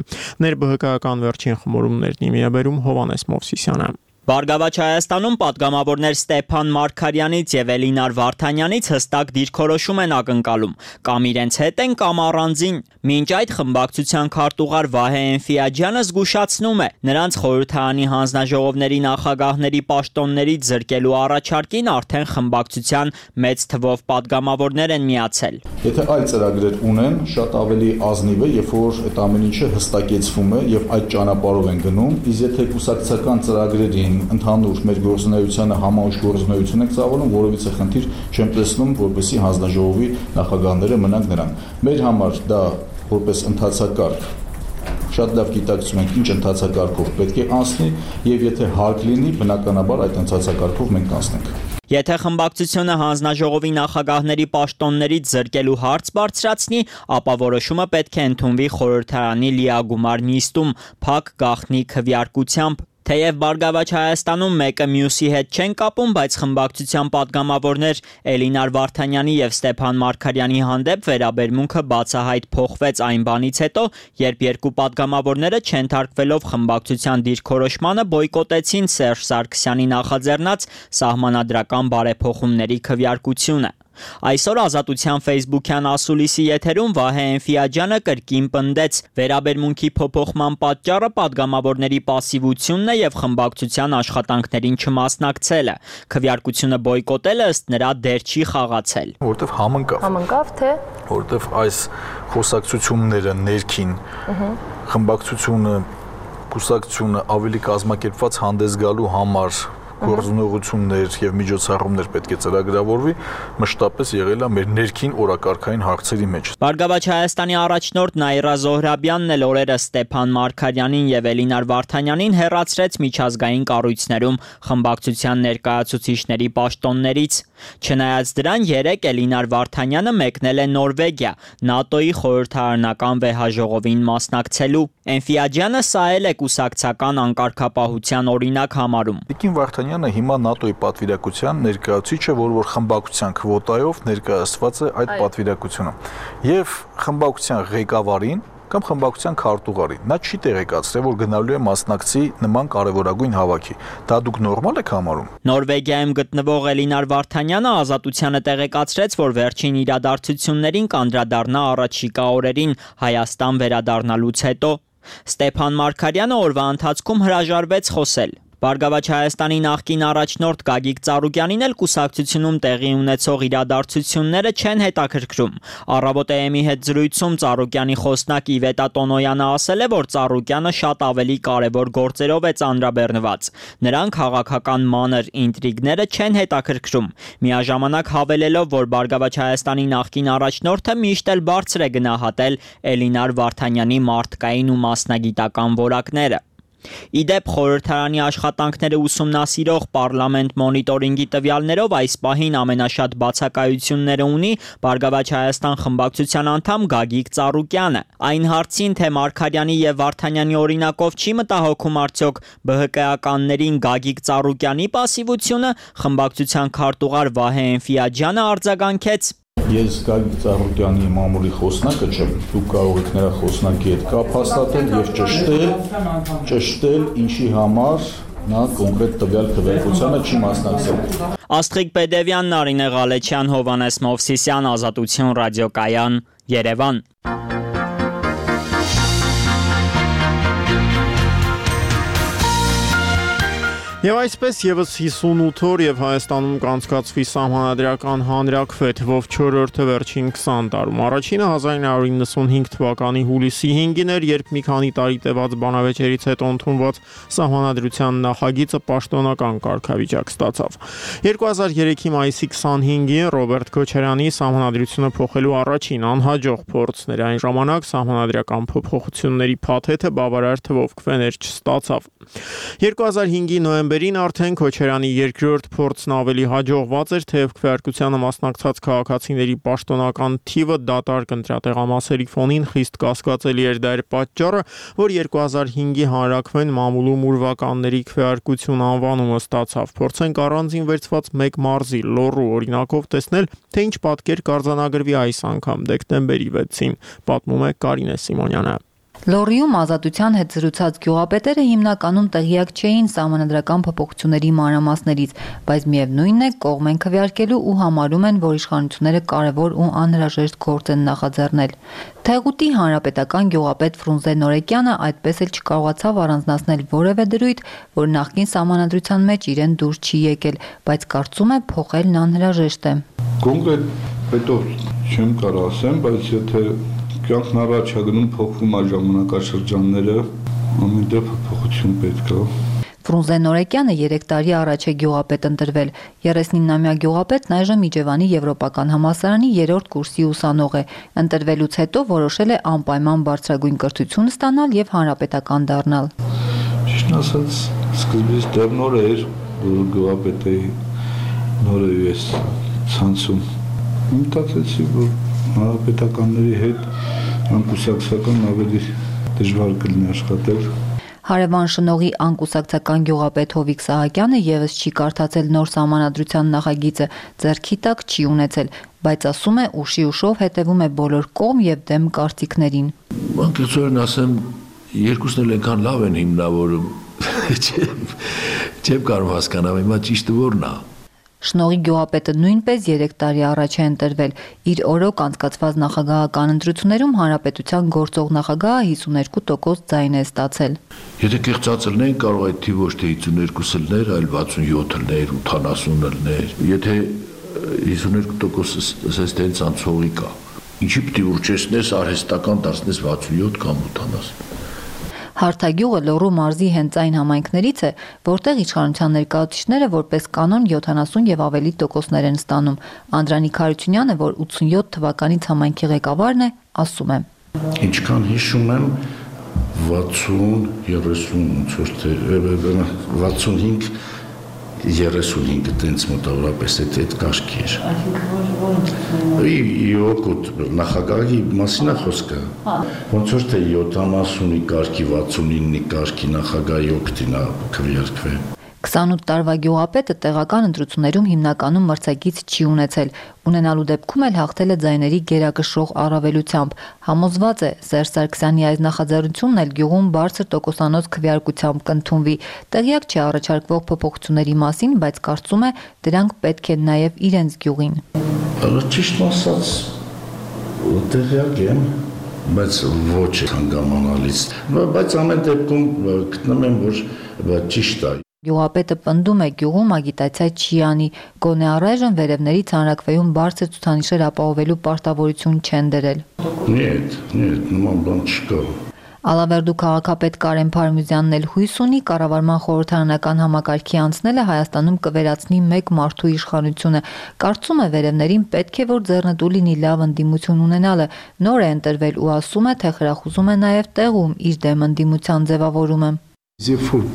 ՆերբՀԿ-ական վերջին խմորումներն իմիաբերում Հովանես Մովսիսյանը։ Բարգավաճ Հայաստանում պատգամավորներ Ստեփան Մարգարյանից եւ Էլինար Վարդանյանից հստակ դիրքորոշում են ակնկալում, կամ իրենց հետ են, կամ առանձին։ Մինչ այդ խմբակցության քարտուղար Վահե Էնֆիաջյանը զգուշացնում է, նրանց խորհրդարանի հանձնաժողովների նախագահների պաշտոններից զրկելու առաջարկին արդեն խմբակցության մեծ թվով պատգամավորներ են միացել։ Եթե այլ ծրագրեր ունեն, շատ ավելի ազնիվ է, երբ որ այդ ամեն ինչը հստակեցվում է եւ այդ ճանապարհով են գնում, իսկ եթե կուսակցական ծրագրերին ընդհանուր մեր գործունեությանը համաուժ գործունեություն եք ծավալում, որովհետեւ խնդիր չեմ տեսնում, որպեսզի հանձնաժողովի նախագահները մնանք նրան։ Մեր համար դա որպես ընթացակարգ շատ լավ գիտակցում ենք ինչ ընթացակարգով պետք է անցնի եւ եթե հարկ լինի, բնականաբար այդ ընթացակարգով մենք կանցնենք։ Եթե խմբակցությունը հանձնաժողովի նախագահների պաշտոններից զրկելու հարց բարձրացնի, ապա որոշումը պետք է ընդունվի խորհրդարանի լիագումար նիստում, փակ գաղտնի քվեարկությամբ։ Թեև Բարգավաճ Հայաստանում մեկը մյուսի հետ չեն կապում, բայց խմբակցության պատգամավորներ Էլինար Վարդանյանի եւ Ստեփան Մարգարյանի հանդեպ վերաբերմունքը բացահայտ փոխվեց այն բանից հետո, երբ երկու պատգամավորները չենթարկվելով խմբակցության դիրքորոշմանը բոյկոտեցին Սերժ Սարգսյանի նախաձեռնած սահմանադրական բարեփոխումների քվեարկությունը։ Այսօր Ազատության Facebook-յան ասուլիսի եթերում Վահե Էնֆիաջյանը կրկին պնդեց, վերաբերմունքի փոփոխման պատճառը падգամավորների պասիվությունն է եւ խմբակցության աշխատանքներին չմասնակցելը։ Քվեարկությունը բոյկոտելը ըստ նրա դեր չի խաղացել։ Որտեվ համընկավ թե որտեվ այս խոսակցությունները ներքին խմբակցությունը կուսակցությունը ավելի կազմակերպված հանդես գալու համար գործունեություններ եւ միջոցառումներ պետք է ծրագրավորվի, մշտապես եղել է մեր ներքին օրակարգային հարցերի մեջ։ Բարգավաճ Հայաստանի առաջնորդ Նաիրա Զոհրաբյանն էլ օրերս Ստեփան Մարգարյանին եւ Էլինար Վարդանյանին հեռացրեց միջազգային կառույցներում խմբակցության ներկայացուցիչների պաշտոններից։ Չնայած դրան, երեկ Էլինար Վարդանյանը մեկնել է Նորվեգիա, ՆԱՏՕ-ի խորհրդարանական վեհաժողովին մասնակցելու։ Էնֆիաջյանը սա էլ է կուսակցական անկարգապահության օրինակ համարում։ Տիկին Վարդանյանը հիմա ՆԱՏՕ-ի պատվիրակության ներկայացուցիչ է, որ խմբակցության քվոտայով ներկայացված է այդ պատվիրակությունը։ Եվ խմբակցության ղեկավարին կամ խմբակցության քարտուղարին նա չի տեղեկացրել, որ գնալու է մասնակցի նման կարևորագույն հավաքի։ Դա դուք նորմալ եք համարում։ Նորվեգիայում գտնվող Էլինար Վարդանյանը Ազատությանը տեղեկացրեց, որ վերջին իրադարձություններին կանդրադառնա առաջիկա օրերին Հայաստան վերադառնալուց հետո։ Ստեփան Մարգարյանը օրվա ընթացքում հրաժարվեց խոսել։ Բարգավաճ Հայաստանի նախկին առաջնորդ Գագիկ Ծառուկյանին էլ կուսակցությունում տեղի ունեցող իրադարձությունները չեն հետաքրքրում։ Առավոտ-ի հետ զրույցում Ծառուկյանի խոսնակ Իվետա Տոնոյանը ասել է, որ Ծառուկյանը շատ ավելի կարևոր գործերով է ծանրաբեռնված։ Նրան քաղաքական մանր ինտրիգները չեն հետաքրքրում։ Միաժամանակ հավելելով, որ Բարգավաճ Հայաստանի նախկին առաջնորդը միշտ էլ բարձր է գնահատել Էլինար Վարդանյանի մարդկային ու մասնագիտական որակները։ Իդեպ խորհրդարանի աշխատանքները ուսումնասիրող Պարլամենտ մոնիտորինգի տվյալներով այս պահին ամենաշատ բացակայությունները ունի Բարգավաճ Հայաստան խմբակցության անդամ Գագիկ Ծառուկյանը։ Այն հարցին, թե Մարգարյանի եւ Վարդանյանի օրինակով չի մտահոգում արդյոք ԲՀԿ-ականներին Գագիկ Ծառուկյանի պասիվությունը, խմբակցության քարտուղար Վահե Էնֆիաջյանը արձագանքեց. Ես Գագիկ Ծառուկյանի մամուլի խոսնակը չեմ, դուք կարող եք նրա խոսնակի հետ կապ հաստատել եւ ճշտել ինչի համար նա կոնկրետ տվյալ քվեարկությանը չի մասնակցել։ Աստղիկ Պեդևյան, Նարինե Ղալեչյան, Հովանես Մովսիսյան, Ազատություն ռադիոկայան, Երևան։ Եվ այսպես եւս 58 օր եւ Հայաստանում կանցկացվի սահմանադրական հանրաքվե թվով 4-րդը վերջին 20 տարում։ Առաջինը 1995 թվականի հուլիսի 5-ին էր, երբ մի քանի տարի տևած բանավեճերից հետո ընդունված սահմանադրության նախագիծը պաշտոնական կարգավիճակ ստացավ։ 2003-ի մայիսի 25-ին Ռոբերտ Քոչարյանի սահմանադրությունը փոխելու առաջին անհաջող փորձն էր։ Այն ժամանակ սահմանադրական փոփոխությունների փաթեթը բավարար թվով քվեներ չստացավ։ 2005-ի նոյեմբերին արդեն Քոչարյանի երկրորդ փորձն ավելի հաջողված էր, թեև քվեարկությանը մասնակցած քաղաքացիների պաշտոնական թիվը դատարկ ընտրատեղամասերի ֆոնին խիստ կասկածելի էր։ Դա էր պատճառը, որ 2005-ի հանրաքվեն մամուլում ուրվականների քվեարկություն անվանումը ստացավ։ Փորձենք առանձին վերցված մեկ մարզի Լոռու օրինակով տեսնել, թե ինչ պատկեր կարձանագրվի այս անգամ դեկտեմբերի 6-ին, պատմում է Կարինե Սիմոնյանը։ Լոռիում Ազատության հետ զրուցած գյուղապետերը հիմնականում տեղյակ չէին սահմանադրական փոփոխությունների մանրամասներից, բայց միևնույնն է, կողմ են քվեարկելու ու համարում են, որ իշխանությունները կարևոր ու անհրաժեշտ գործ են նախաձեռնել։ Թեղուտի հանրապետական գյուղապետ Ֆրունզե Նորեկյանը այդպես էլ չկարողացավ առանձնացնել որևէ դրույթ, որ նախկին սահմանադրության մեջ իրեն դուր չի եկել, բայց կարծում է փոխելն անհրաժեշտ է։ Կոնկրետ պետով չեմ կարող ասեմ, բայց եթե կյանքն առաջ է գնում, փոխվում է ժամանակաշրջանները, ամենտեղ փոփոխություն պետք է։ Ֆրունզե Նորեկյանը 3 տարի առաջ է գյուղապետ ընտրվել։ 39-ամյա գյուղապետն այժմ Իջևանի Եվրոպական համալսարանի 3-րդ կուրսի ուսանող է։ Ընտրվելուց հետո որոշել է անպայման բարձրագույն կրթություն ստանալ եւ հանրապետական դառնալ։ Ճիշտն ասած, սկզբից դեռ նոր էր, որ գյուղապետ էի, նոր էի ես ցանցում։ Մտածեցի, որ հանրապետականների հետ անկուսակցական ավելի դժվար կլինի աշխատել։ Հարևան շնողի անկուսակցական գյուղապետ Հովիկ Սահակյանը եւս չի կարդացել նոր սահմանադրության նախագիծը, ձեռքի տակ չի ունեցել, բայց ասում է ուշի ուշով հետևում է բոլոր կողմ եւ դեմ կարծիքներին։ Անկեղծորեն ասեմ, երկուսն էլ այնքան լավ են հիմնավորում, չեմ կարող հասկանալ, հիմա ճիշտը որն է։ Շնորհի գյուղապետը նույնպես 3 տարի առաջ է ընտրվել։ Իր օրոք անցկացված նախագահական ընտրություններում հանրապետության գործող նախագահը 52% ձայն է ստացել։ Եթե կեղծածը լինեն, կարող է թիվ ոչ թե 52 լներ, այլ 67 լներ, 80 լներ։ Եթե 52% ասես թե ցանցողի կա։ Ինչի՞ պիտի ուրճեսնես արհեստական դարձնես 67 կամ 80։ Հարթագյուղը Լոռու մարզի հենց այն համայնքներից է, որտեղ իշխանության ներկայացուցիչները որպես կանոն 70 եւ ավելի տոկոսներ են ստանում։ Անդրանիկ Հարությունյանը, որ 87 թվականից համայնքի ղեկավարն է, ասում է. Ինչքան հիշում եմ 65 տենց մոտավորապես այդ կաշկի էր։ Իոկոտ նախագահի մասին է խոսքը։ Ոնց որ թե 70-ի կաշկի, 69-ի կաշկի նախագահի օգտին է քվեարկվել։ 28 տարվա գյուղապետը տեղական ընտրություններում հիմնականում մրցակից չի ունեցել, ունենալու դեպքում էլ հաղթել է ձայների գերակշռող առավելությամբ։ Համոզված է, Սերժ Սարգսյանի այս նախաձեռնությունն էլ գյուղում բարձր տոկոսանոց քվեարկությամբ կընդունվի։ Տեղյակ չի առաջարկվող փոփոխությունների մասին, բայց կարծում է, դրանք պետք են նաև իրենց գյուղին։ Ճիշտ ասած, տեղյակ եմ, բայց ոչ հանգամանալից։ Բայց ամեն դեպքում գտնում եմ, որ ճիշտ է։ Գյուղապետը պնդում է, գյուղում ագիտացիա չի անի, գոնե առայժմ վերևներից հանրակրվեում բարձր ցուցանիշեր ապահովելու պարտավորություն չեն դրել։ Нет, նման բան չկա։ Ալավերդու քաղաքապետ Կարեն Փարմյուզյանն էլ հույս ունի կառավարման խորհրդարանական համակարգի անցնելը Հայաստանում կվերացնի մեկ մարդու իշխանությունը։ Կարծում է վերևներին պետք է որ ձեռնտու լինի լավ ընդդիմություն ունենալը, նոր է ընտրվել ու ասում է, թե խրախուսում է նաև տեղում իր դեմ ընդդիմության ձևավորումը։ Երբ որ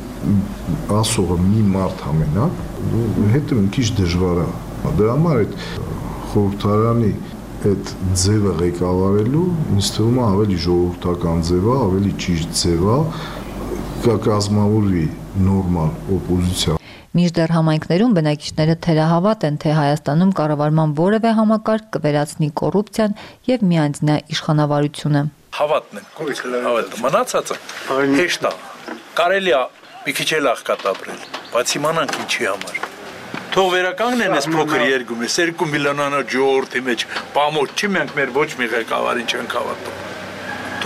ասողը մի մարդ համենակ, հետո մի քիչ դժվար է։ Դրա համար այդ խորհրդարանի այդ ձևը ղեկավարելու ինձ թվում է ավելի ժողովրդական ձև է, ավելի ճիշտ ձև է, կկազմավորվի նորմալ օպոզիցիա։ Մինչդեռ համայնքներում բնակիչները թերահավատ են, թե Հայաստանում կառավարման որևէ համակարգ կվերացնի կոռուպցիան եւ միանձնյա իշխանավարությունը։ Հավատն են, հավատը մնացածը հեշտ է։ Կարելի է մի քիչ էլ աղքատ ապրել, բայց իմանանք ինչի համար։ Թող վերականգնեն այս փոքր երկում, այս 2 միլիոնանոց ժողովրդի մեջ պամոց չի, մենք մեր ոչ մի ղեկավարին չենք հավատում։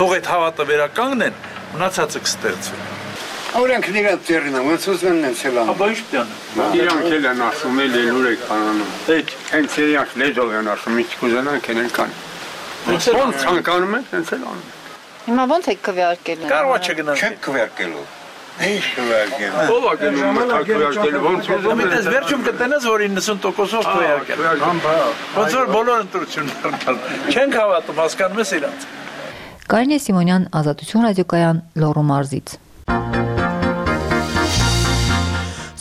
Թող այդ հավատը վերականգնեն, մնացածը կստեղծվի։ Օրենք իրենց ծերին են, ոնց ուզում են ցելան։ Ապա ի՞նչ պիտի անեն։ Իրանք էլ են ասում, ելուր եք կանանում։ Հենց իրանք լեզով են ասում, ինչ կուզենան կենեն կան։ Ոնց ցանկանում են, հենց էլ անում։ Հիմա ոնց եք քվեարկելու։ Կարող է չգնանք։ Չեք քվեարկելու։ Ինչ քվեարկելու։ Ո՞վ է գնում քվեարկելու, ոնց ուզում են։ Դες վերջում կտնես, որ 90%-ով քվեարկել։ Ոնց որ բոլոր ընտրություններն չենք հավատում, հասկանում ես իրանց։ Կարինե Սիմոնյան, Ազատություն ռադիոկայան, Լոռու մարզից։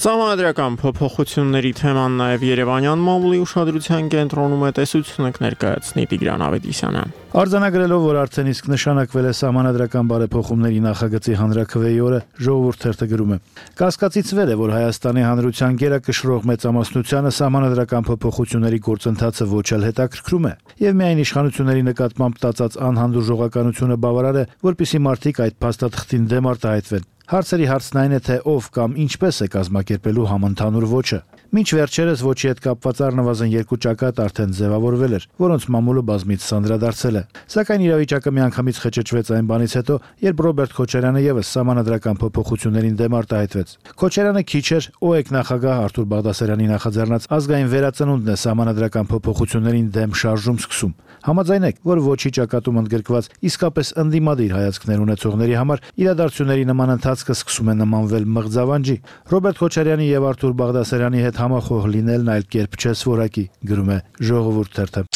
Սահմանադրական փոփոխությունների թեման նաև Երևանյան մամուլի ուշադրության կենտրոնում է, տեսությունը կներկայացնի Տիգրան Ավետիսյանը։ Արձանագրելով, որ արդեն իսկ նշանակվել է սահմանադրական բարեփոխումների նախագծի հանրաքվեի օրը, Ժողովուրդ թերթը գրում է. Կասկածից վեր է, որ Հայաստանի հանրության գերակշռող մեծամասնությանը սահմանադրական փոփոխությունների գործընթացը ոչ էլ հետաքրքրում է, եւ միայն իշխանությունների նկատմամբ տածած անհանդուրժողականությունը բավարար է, որպիսի մարդիկ այդ փաստաթղթին դեմ արտահայտվեն։ Հարցերի հարցն այն է, թե ով կամ ինչպես է կազմակերպելու համընդհանուր ոչը։ Մինչ վերջերս ոչի հետ կապված առնվազն 2 ճակատ արդեն ձևավորվել էր, որոնց մամուլը բազմից սանրադարձել է։ Սակայն իրավիճակը միանգամից խճճվեց այն բանից հետո, երբ Ռոբերտ Քոչարյանը եւս սահմանադրական փոփոխություններին դեմ արտահայտվեց։ Քոչարյանը քիչ էր ՕԵԿ նախագահ Արթուր Բաղդասարյանի նախաձեռնած ազգային վերածնունդն է սահմանադրական փոփոխություններին դեմ շարժում սկսում։ Համաձայնեք, որ ոչի ճակատում ընդգրկված իսկապես ընդդիմադիր հայացքներ ունեցողների համար իրադարձությունների նման ընթացքը սկսում է նմանվել մղձավանջի։ Ռոբերտ Քոչարյանի եւ Արթուր Բաղդասարյանի հետ համախոհ լինելն այլ կերպ չէ սովորակի, գրում է Ժողովուրդ թերթը։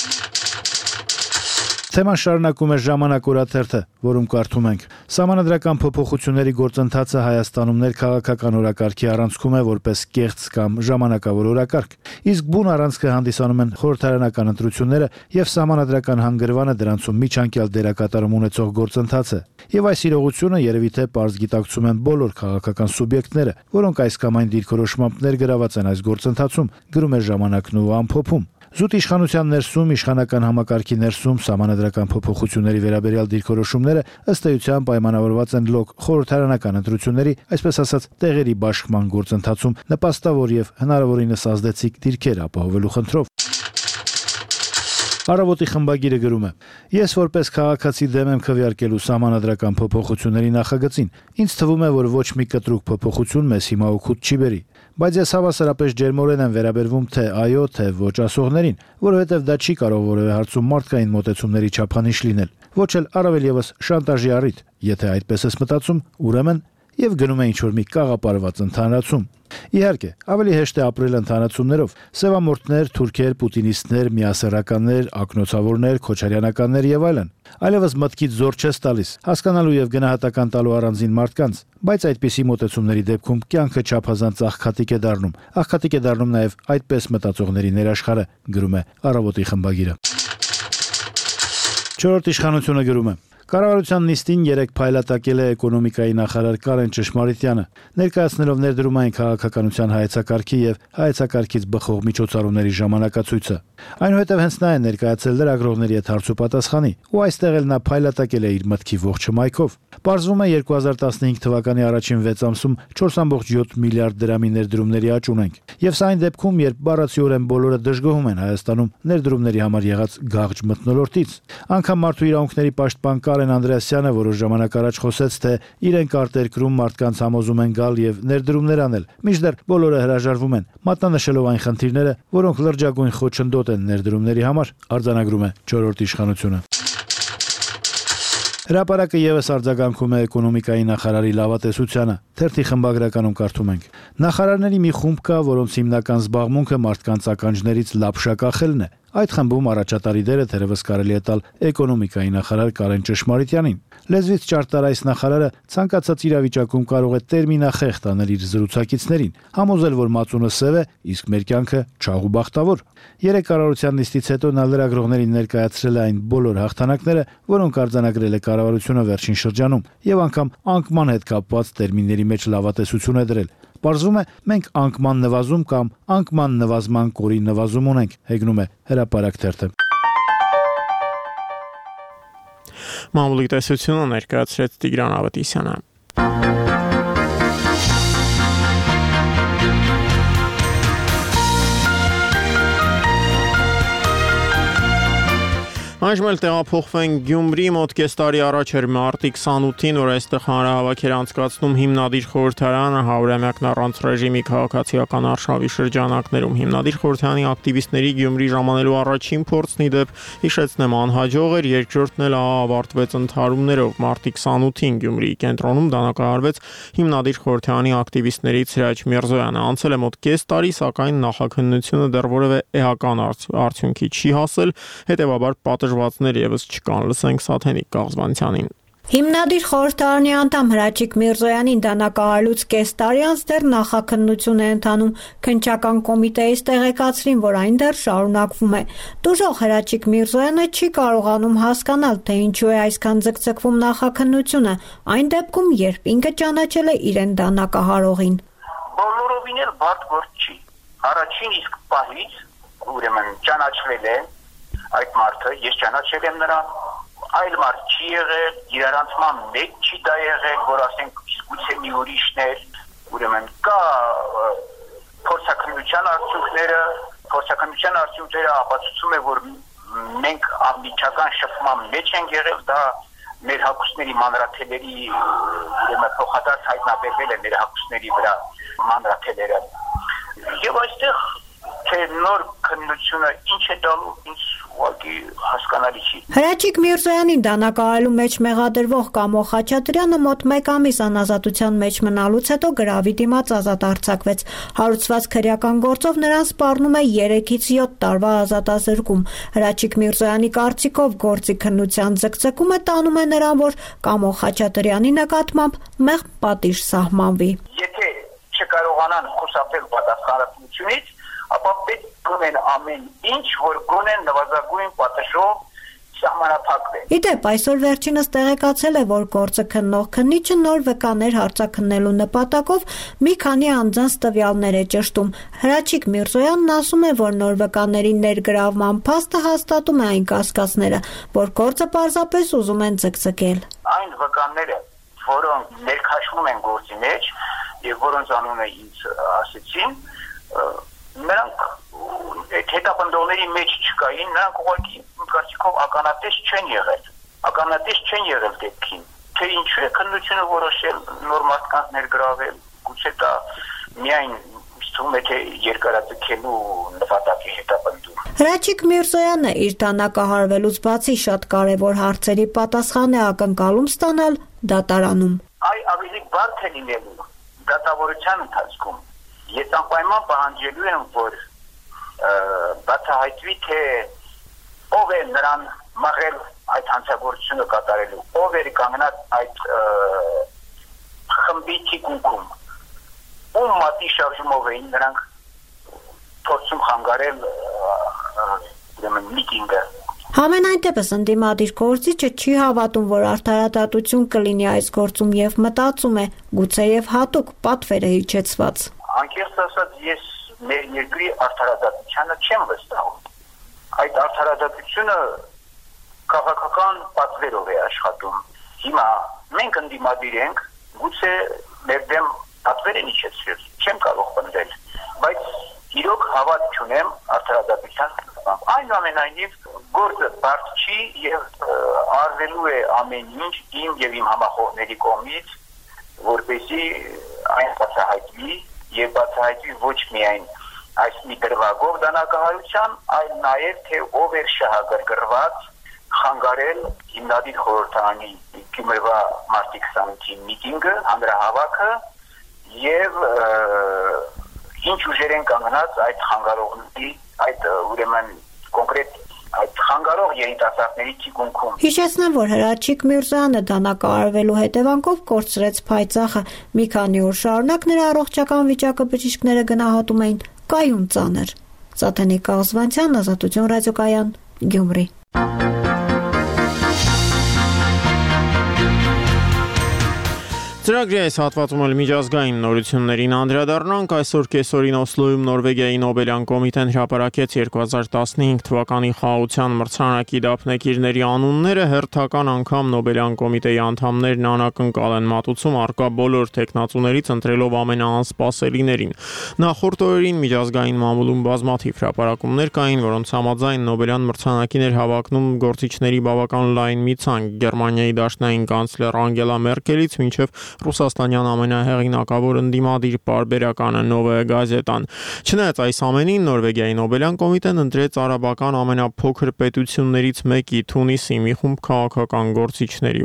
Թեման շարունակում է Ժամանակ օրաթերթը, որում կարդում ենք. Սահմանադրական փոփոխությունների գործընթացը Հայաստանում ներքաղաքական օրակարգի առանցքում է որպես կեղծ կամ ժամանակավոր օրակարգ։ Իսկ բուն առանցքը հանդիսանում են խորհրդարանական ընտրությունները եւ սահմանադրական հանգրվանը դրանցում միջանկյալ դերակատարում ունեցող գործընթացը։ Եվ այս իրողությունը երևի թե պարզ գիտակցում են բոլոր քաղաքական սուբյեկտները, որոնք այս կամ այն դիրքորոշմամբ ներգրաված են այս գործընթացում, գրում է Ժամանակն ու ամփոփում։ Զուտ իշխանության ներսում իշխանական համակարգի ներսում սահմանադրական փոփոխությունների վերաբերյալ դիրքորոշումները ըստ էության պայմանավորված են լոկ խորհրդարանական ընտրությունների, այսպես ասած, տեղերի բաշխման գործընթացում նպաստավոր եւ հնարավորինս ազդեցիկ դիրքեր ապահովելու խնդրով։ Առավոտի խմբագիրը գրում է. Ես որպես քաղաքացի դեմ եմ քվեարկելու սահմանադրական փոփոխությունների նախագծին։ Ինձ թվում է, որ ոչ մի կտրուկ փոփոխություն մեզ հիմա օգուտ չի բերի։ Բայց ես հավասարապես ջերմորեն եմ վերաբերվում թե այո, թե ոչ ասողներին, որովհետև դա չի կարող որևէ հարցում մարդկային մոտեցումների չափանիշ լինել։ Ոչ էլ առավել եւս շանտաժի առիթ։ Եթե այդպես ես մտածում, ուրեմն եւ գնում է ինչ-որ մի կաղապարված ընդհանրացում։ Իհարկե, ավելի հեշտ է ապրել ընդհանրացումներով։ Սևամորթներ, թուրքեր, պուտինիստներ, միասեռականներ, ակնոցավորներ, քոչարյանականներ եւ այլն։ Այլևս մտքից զոր չես տալիս, հասկանալու եւ գնահատական տալու առանձին մարդկանց, բայց այդպիսի մոտեցումների դեպքում կյանքը չափազանց աղքատիկ է դառնում։ Աղքատիկ է դառնում նաեւ այդպես մտածողների ներաշխարը, գրում է Առավոտի խմբագիրը։ Չորրորդ իշխանությունը գրում է. Կառավարության նիստին 3 փայլատակել է էկոնոմիկայի նախարար Կարեն Ճշմարիտյանը, ներկայացնելով ներդրումային քաղաքականության հայեցակարգի եւ հայեցակարգից բխող միջոցառումների ժամանակացույցը։ Այնուհետև հենց նա է ներկայացել լրագրողների հետ հարցուպատասխանի, ու այստեղ էլ նա փայլատակել է իր մտքի ողջ հմայքով։ Պարզվում է 2015 թվականի առաջին 6 ամսում 4.7 միլիարդ դրամի ներդրումների աճ ունենք։ Եվ սա այն դեպքում, երբ բառացիորեն բոլորը դժգոհում են Հայաստանում ներդրումների համար եղած գաղջ մթնոլորտից։ Անգամ մարդու իրավունքների պաշտպան Կարեն Անդրեասյանը որոշ ժամանակ առաջ խոսեց, թե իրենք արտերկրում մարդկանց համոզում են գալ եւ ներդրումներ անել, մինչդեռ բոլորը հրաժարվում են, մատնանշելով այն խնդիրները, որոնք լրջագույն խոչընդոտ են ներդրումների համար, արձանագրում է 4-րդ իշխանությունը։ Հրապարակը եւս արձագանքում է էկոնոմիկայի նախարարի լավատեսությանը։ Թերթի խմբագրականում կարդում ենք. Նախարարների մի խումբ կա, որոնց հիմնական զբաղմունքը մարդկանց ականջներից լապշա կախելն է։ Այդ խմբում առաջատարի դերը թերևս կարելի է տալ էկոնոմիկայի նախարար Կարեն Ճշմարիտյանին։ Լեզվից ճարտար այս նախարարը ցանկացած իրավիճակում կարող է տերմինախեղտ անել իր զրուցակիցներին, համոզել, որ մածունը սև է, իսկ մեր կյանքը չաղ ու բախտավոր։ Երեք կառավարության նիստից հետո նա լրագրողներին ներկայացրել է այն բոլոր հաղթանակները, որոնք արձանագրել է կառավարությունը վերջին շրջանում, եւ անգամ անկման հետ կապված տերմինների մեջ լավատեսություն է դրել։ Պարզվում է, մենք անկման նվազում կամ անկման նվազման կորի նվազում ունենք, հեգնում է Հրապարակ թերթը։ Մամուլի տեսությունը ներկայացրեց Տիգրան Ավետիսյանը։ Այժմ էլ տեղափոխվենք Գյումրի, մոտ կես տարի առաջ էր մարտի 28-ին, որ այստեղ հանրահավաք էր անցկացնում հիմնադիր խորհրդարանը 100-ամյակն առանց ռեժիմի քաղաքացիական արշավի շրջանակներում։ Հիմնադիր խորհրդարանի ակտիվիստների Գյումրի ժամանելու առաջին փորձն ի դեպ, հիշեցնեմ, անհաջող էր, երկրորդն էլ ավարտվեց ընդհարումներով։ Մարտի 28-ին Գյումրիի կենտրոնում դանակահարվեց հիմնադիր խորհրդարանի ակտիվիստներից Սիրաջ Միրզոյանը։ Անցել է մոտ կես տարի, սակայն նախաքննությունը դեռ որևէ էական արդյունքի չի հասել, հետևաբար պատժվածներ եւս չկան, լսենք Սաթենիկ Կաղզվանցյանին։ Հիմնադիր խորհրդարանի անդամ Հրաչիկ Միրզոյանին դանակահարելուց կես տարի անց դեռ նախաքննություն է ընթանում։ Քննչական կոմիտեից տեղեկացրին, որ այն դեռ շարունակվում է։ Տուժող Հրաչիկ Միրզոյանը չի կարողանում հասկանալ, թե ինչու է այսքան ձգձգվում նախաքննությունը, այն դեպքում, երբ ինքը ճանաչել է իրեն դանակահարողին։ Բոլորովին էլ բարդ գործ չի։ Առաջին իսկ պահից ուրեմն ճանաչվել է այդ մարդը, ես ճանաչել եմ նրան, այլ մարդ չի եղել, իրարանցման մեջ չի դա եղել, որ ասենք գուցե մի ուրիշն էր, ուրեմն կա փորձաքննության արդյունքները ապացուցում է, որ մենք անմիջական շփման մեջ ենք եղել, դա մեր հակուսների մանրաթելերի ուրեմն փոխադարձ հայտնաբերվել է մեր հակուսների վրա մանրաթելերը։ Եվ այստեղ թե նոր քննությունը ինչ է տալու, ինձ ուղղակի հասկանալի չի։ Հրաչիկ Միրզոյանին դանակահարելու մեջ մեղադրվող Կամո Խաչատրյանը մոտ 1 ամիս անազատության մեջ մնալուց հետո գրավի դիմաց ազատ արձակվեց։ Հարուցված քրեական գործով նրան սպառնում է 3-ից 7 տարվա ազատազրկում։ Հրաչիկ Միրզոյանի կարծիքով գործի քննության ձգձգումը տանում է նրան, որ Կամո Խաչատրյանի նկատմամբ մեղմ պատիժ սահմանվի։ Եթե չկարողանան խուսափել պատասխանատվությունից, ապա պետք ունեն ամեն ինչ, որ գոնեն նվազագույն պատժով սահմանափակվեն։ Իդեպ այսօր վերջինս տեղեկացել է, որ գործը քննող քննիչը նոր վկաներ հարցաքննելու նպատակով մի քանի անձանց տվյալներ է ճշտում։ Հրաչիկ Միրզոյանն ասում է, որ նոր վկաների ներգրավման փաստը հաստատում է այն կասկածները, որ գործը պարզապես ուզում են ձգձգել։ Այն վկաները, որոնք ներքաշվում են գործի մեջ եւ որոնց անունը ինձ ասեցին, նրանք այդ հետապնդողների մեջ չկային, նրանք ուղղակի կարծիքով ականատես չեն եղել դեպքին, թե ինչու է քննությունը որոշել նոր մարդկանց ներգրավել, գուցե դա միայն թվում է թե երկարաձգելու նպատակի հետապնդում։ Հրաչիկ Միրզոյանը իր դանակահարվելուց բացի շատ կարևոր հարցերի պատասխան է ակնկալում ստանալ դատարանում։ Ավելի բարդ է լինելու դատավորության ընթացքում, ես անպայման պահանջելու եմ, որ բացահայտվի թե ով է նրան մղել այդ հանցագործությունը կատարելու, ով էր կանգնած այդ խմբի թիկունքում, ում մատի շարժումով էին նրանք փորձում խանգարել միտինգը։ Համենայն դեպս ընդդիմադիր գործիչը չի հավատում, որ արդարադատություն կլինի այս գործում եւ մտածում է, գուցեև հատուկ պատվերը հիջեցված։ Անկեղծ ասած, ես մեր երկրի արդարադատությանը չեմ վստահում։ Այդ արդարադատությունը քաղաքական պատվերով է աշխատում։ Հիմա մենք ընդդիմադիր ենք, գուցե մեր դեմ պատվեր են իջեցրել, չեմ կարող պնդել, բայց իրոք հավատ չունեմ արդարադատության։ Այնուամենայնիվ գործը բարդ չի եւ արվելու է ամեն ինչ իմ եւ իմ համախոհների կողմից, որպեսզի այն բացահայտվի եւ բացահայտվի ոչ միայն այս մի դրվագով դանակահարության, այլ նաեւ թե ով էր շահագրգռված խանգարել հիմնադիր խորհրդարանի Գյումրվա մարտի 28-ի միտինգը, հանրահավաքը եւ ինչ ուժեր են կանգնած այդ խանգարողների, այդ ուրեմն կոնկրետ այդ խանգարող երիտասարդների թիկունքում։ Հիշեցնեմ, որ Հրաչիկ Միրզոյանը դանակահարվելու հետևանքով կորցրեց փայծախը։ Մի քանի օր շարունակ նրա առողջական վիճակը բժիշկները գնահատում էին կայուն ծանր։ Սաթենիկ Կաղզվանցյան, Ազատություն ռադիոկայան, Գյումրի։ Ծրագրի այս հատվածում էլ միջազգային նորություններին անդրադառնանք։ Այսօր կեսօրին Օսլոյում Նորվեգիայի Նոբելյան կոմիտեն հրապարակեց 2015 թվականի խաղաղության մրցանակի դափնեկիրների անունները, հերթական անգամ Նոբելյան կոմիտեի անդամներն անակնկալ են մատուցում առկա բոլոր տեխնացուներից ընտրելով ամենաանսպասելիներին։ Նախորդ օրերին միջազգային մամուլում բազմաթիվ հրապարակումներ կային, որոնց համաձայն Նոբելյան մրցանակին էր հավակնում գործիչների բավական լայն մի ցանկ՝ Գերմանիայի դաշնային կանցլեր Անգելա Մերկելից մինչև ռուսաստանյան ամենահեղինակավոր ընդդիմադիր պարբերականը Նովոյե գազետան։ Չնայած այս ամենին, Նորվեգիայի Նոբելյան կոմիտեն ընտրեց արաբական ամենափոքր պետություններից մեկի Թունիսի մի խումբ քաղաքական գործիչների,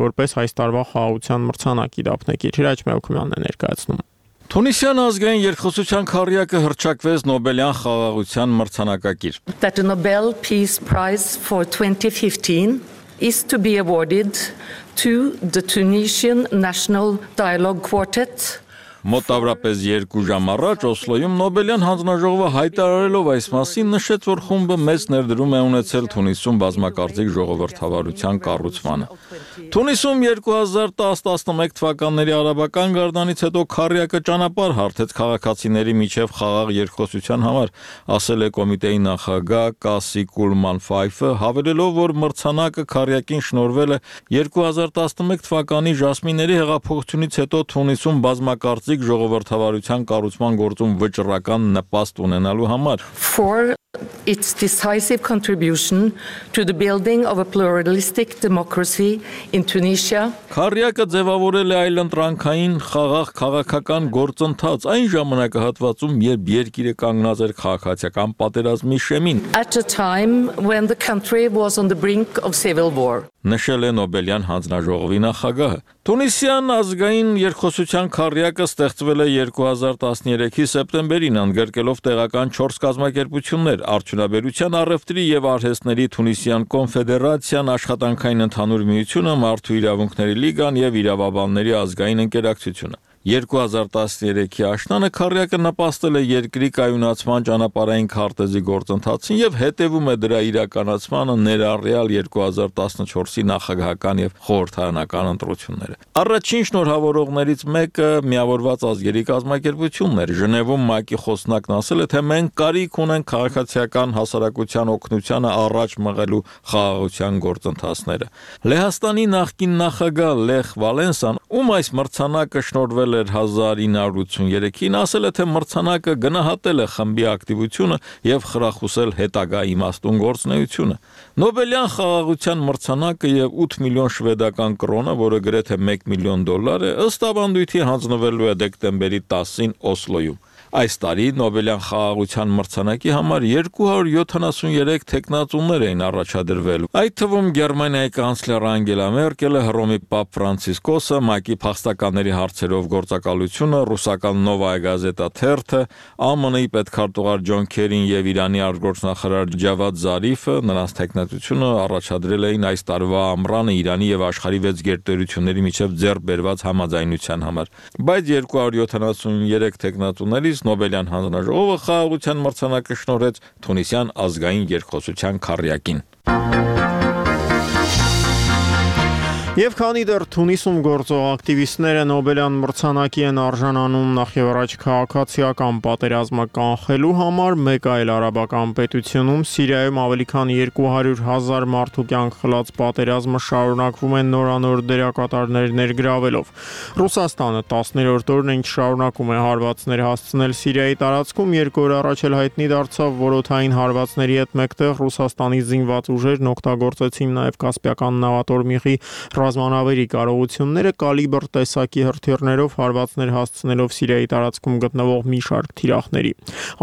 որպես այս տարվա խաղաղության մրցանակի դափնեկիր։ Հրաչ Մելքումյանն է ներկայացնում։ Թունիսյան ազգային երկխոսության քառյակը հռչակվեց Նոբելյան խաղաղության մրցանակակիր։ That the Nobel Peace Prize for 2015 is to be awarded to the Tunisian National Dialogue Quartet. Մոտավորապես 2 ժամ առաջ Օսլոյում Նոբելյան հանձնաժողովը հայտարարելով այս մասին նշեց, որ խումբը մեծ ներդրում է ունեցել Թունիսում բազմակարծիք ժողովրդավարության կառուցմանը։ Թունիսում 2010-11 թվականների արաբական գարդանից հետո քառյակը ճանապարհ հարթեց քաղաքացիների միջև խաղաղ երկխոսության համար, ասել է կոմիտեի նախագահ Կասի Կուլման Ֆայֆը, հավելելով, որ մրցանակը քառյակին շնորհվել է 2011 թվականի Ժասմինների հեղափոխությունից հետո Թունիսում բազմակարծիք ժողովրդավարության կառուցման գործում վճռական նպաստ ունենալու համար։ For its decisive contribution to the building of a pluralistic democracy in Tunisia. Քառյակը ձևավորել է այլընտրանքային խաղաղ քաղաքական գործընթաց այն ժամանակահատվածում, երբ երկիրը կանգնած էր քաղաքացիական պատերազմի շեմին։ At a time when the country was on the brink of civil war. Նշել է Նոբելյան հանձնաժողովի նախագահը։ Թունիսյան ազգային երկխոսության քառյակը ստեղծվել է 2013-ի սեպտեմբերին, ընդգրկելով տեղական 4 կազմակերպություններ՝ Արդյունաբերության, առևտրի եւ արհեստների Թունիսյան կոնֆեդերացիան, Աշխատանքային ընդհանուր միությունը, Մարդու իրավունքների լիգան եւ Իրավաբանների ազգային ընկերակցությունը։ 2013-ի աշնանը քառյակը նպաստել է երկրի կայունացման ճանապարհային քարտեզի գործընթացին եւ հետեւում է դրա իրականացմանը ներառյալ 2014-ի նախագահական եւ խորհրդարանական ընտրությունները։ Առաջին շնորհավորողներից մեկը Միավորված ազգերի կազմակերպությունն էր։ Ժնևում ՄԱԿ-ի խոսնակն ասել է, թե մենք կարիք ունենք քաղաքացիական հասարակության օգնությանը առաջ մղելու խաղաղության գործընթացները։ Լեհաստանի նախկին նախագահ Լեխ Վալենսան, ում այս մրցանակը շնորհվել էր 1983-ին, ասել է, թե մրցանակը գնահատել է խմբի ակտիվությունը եւ խրախուսել հետագա իմաստուն գործունեությունը։ Նոբելյան խաղաղության մրցանակը եւ 8 միլիոն շվեդական կրոնը, որը գրեթե $1 միլիոն է, ըստ ավանդույթի հանձնվելու է դեկտեմբերի 10-ին Օսլոյում։ Այս տարի Նոբելյան խաղաղության մրցանակի համար 273 թեկնածուներ էին առաջադրվել։ Այդ թվում Գերմանիայի կանցլեր Անգելա Մերկելը, Հռոմի Պապ Ֆրանցիսկոսը, ՄԱԿ-ի փախստականների հարցերով գործակալությունը, ռուսական Նովայա գազետա թերթը, ԱՄՆ-ի պետքարտուղար Ջոն Քերին եւ Իրանի արտգործնախարար Ջավադ Զարիֆը նրանց թեկնածությունը առաջադրել էին այս տարվա ամռանը Իրանի եւ աշխարհի 6 գերտերությունների միջև ձեռք բերված համաձայնության համար։ Բայց 273 թեկնածուներից Նոբելյան հանձնաժողովը խաղաղության մրցանակը շնորհեց Թունիսյան ազգային երկխոսության քառյակին։ Եվ քանի դեռ Թունիսում գործող ակտիվիստները Նոբելյան մրցանակի են արժանանում նախևառաջ քաղաքացիական պատերազմը կանխելու համար, մեկ այլ արաբական պետությունում Սիրիայում ավելի քան 200,000 մարդու կյանք խլած պատերազմը շարունակվում է նորանոր դերակատարներ ներգրավելով։ Ռուսաստանը 10-րդ օրն ինչ շարունակում է հարվածներ հասցնել Սիրիայի տարածքում, 2 օր առաջ էլ հայտնի դարձավ որոթային հարվածների հետ մեկտեղ Ռուսաստանի զինված ուժերն օգտագործեցին նաև Կասպիական նավատորմիղի ռազմանավերի կարողությունները կալիբր տեսակի հրթիռներով հարվածներ հասցնելով Սիրիայի տարածքում գտնվող մի շարք թիրախների։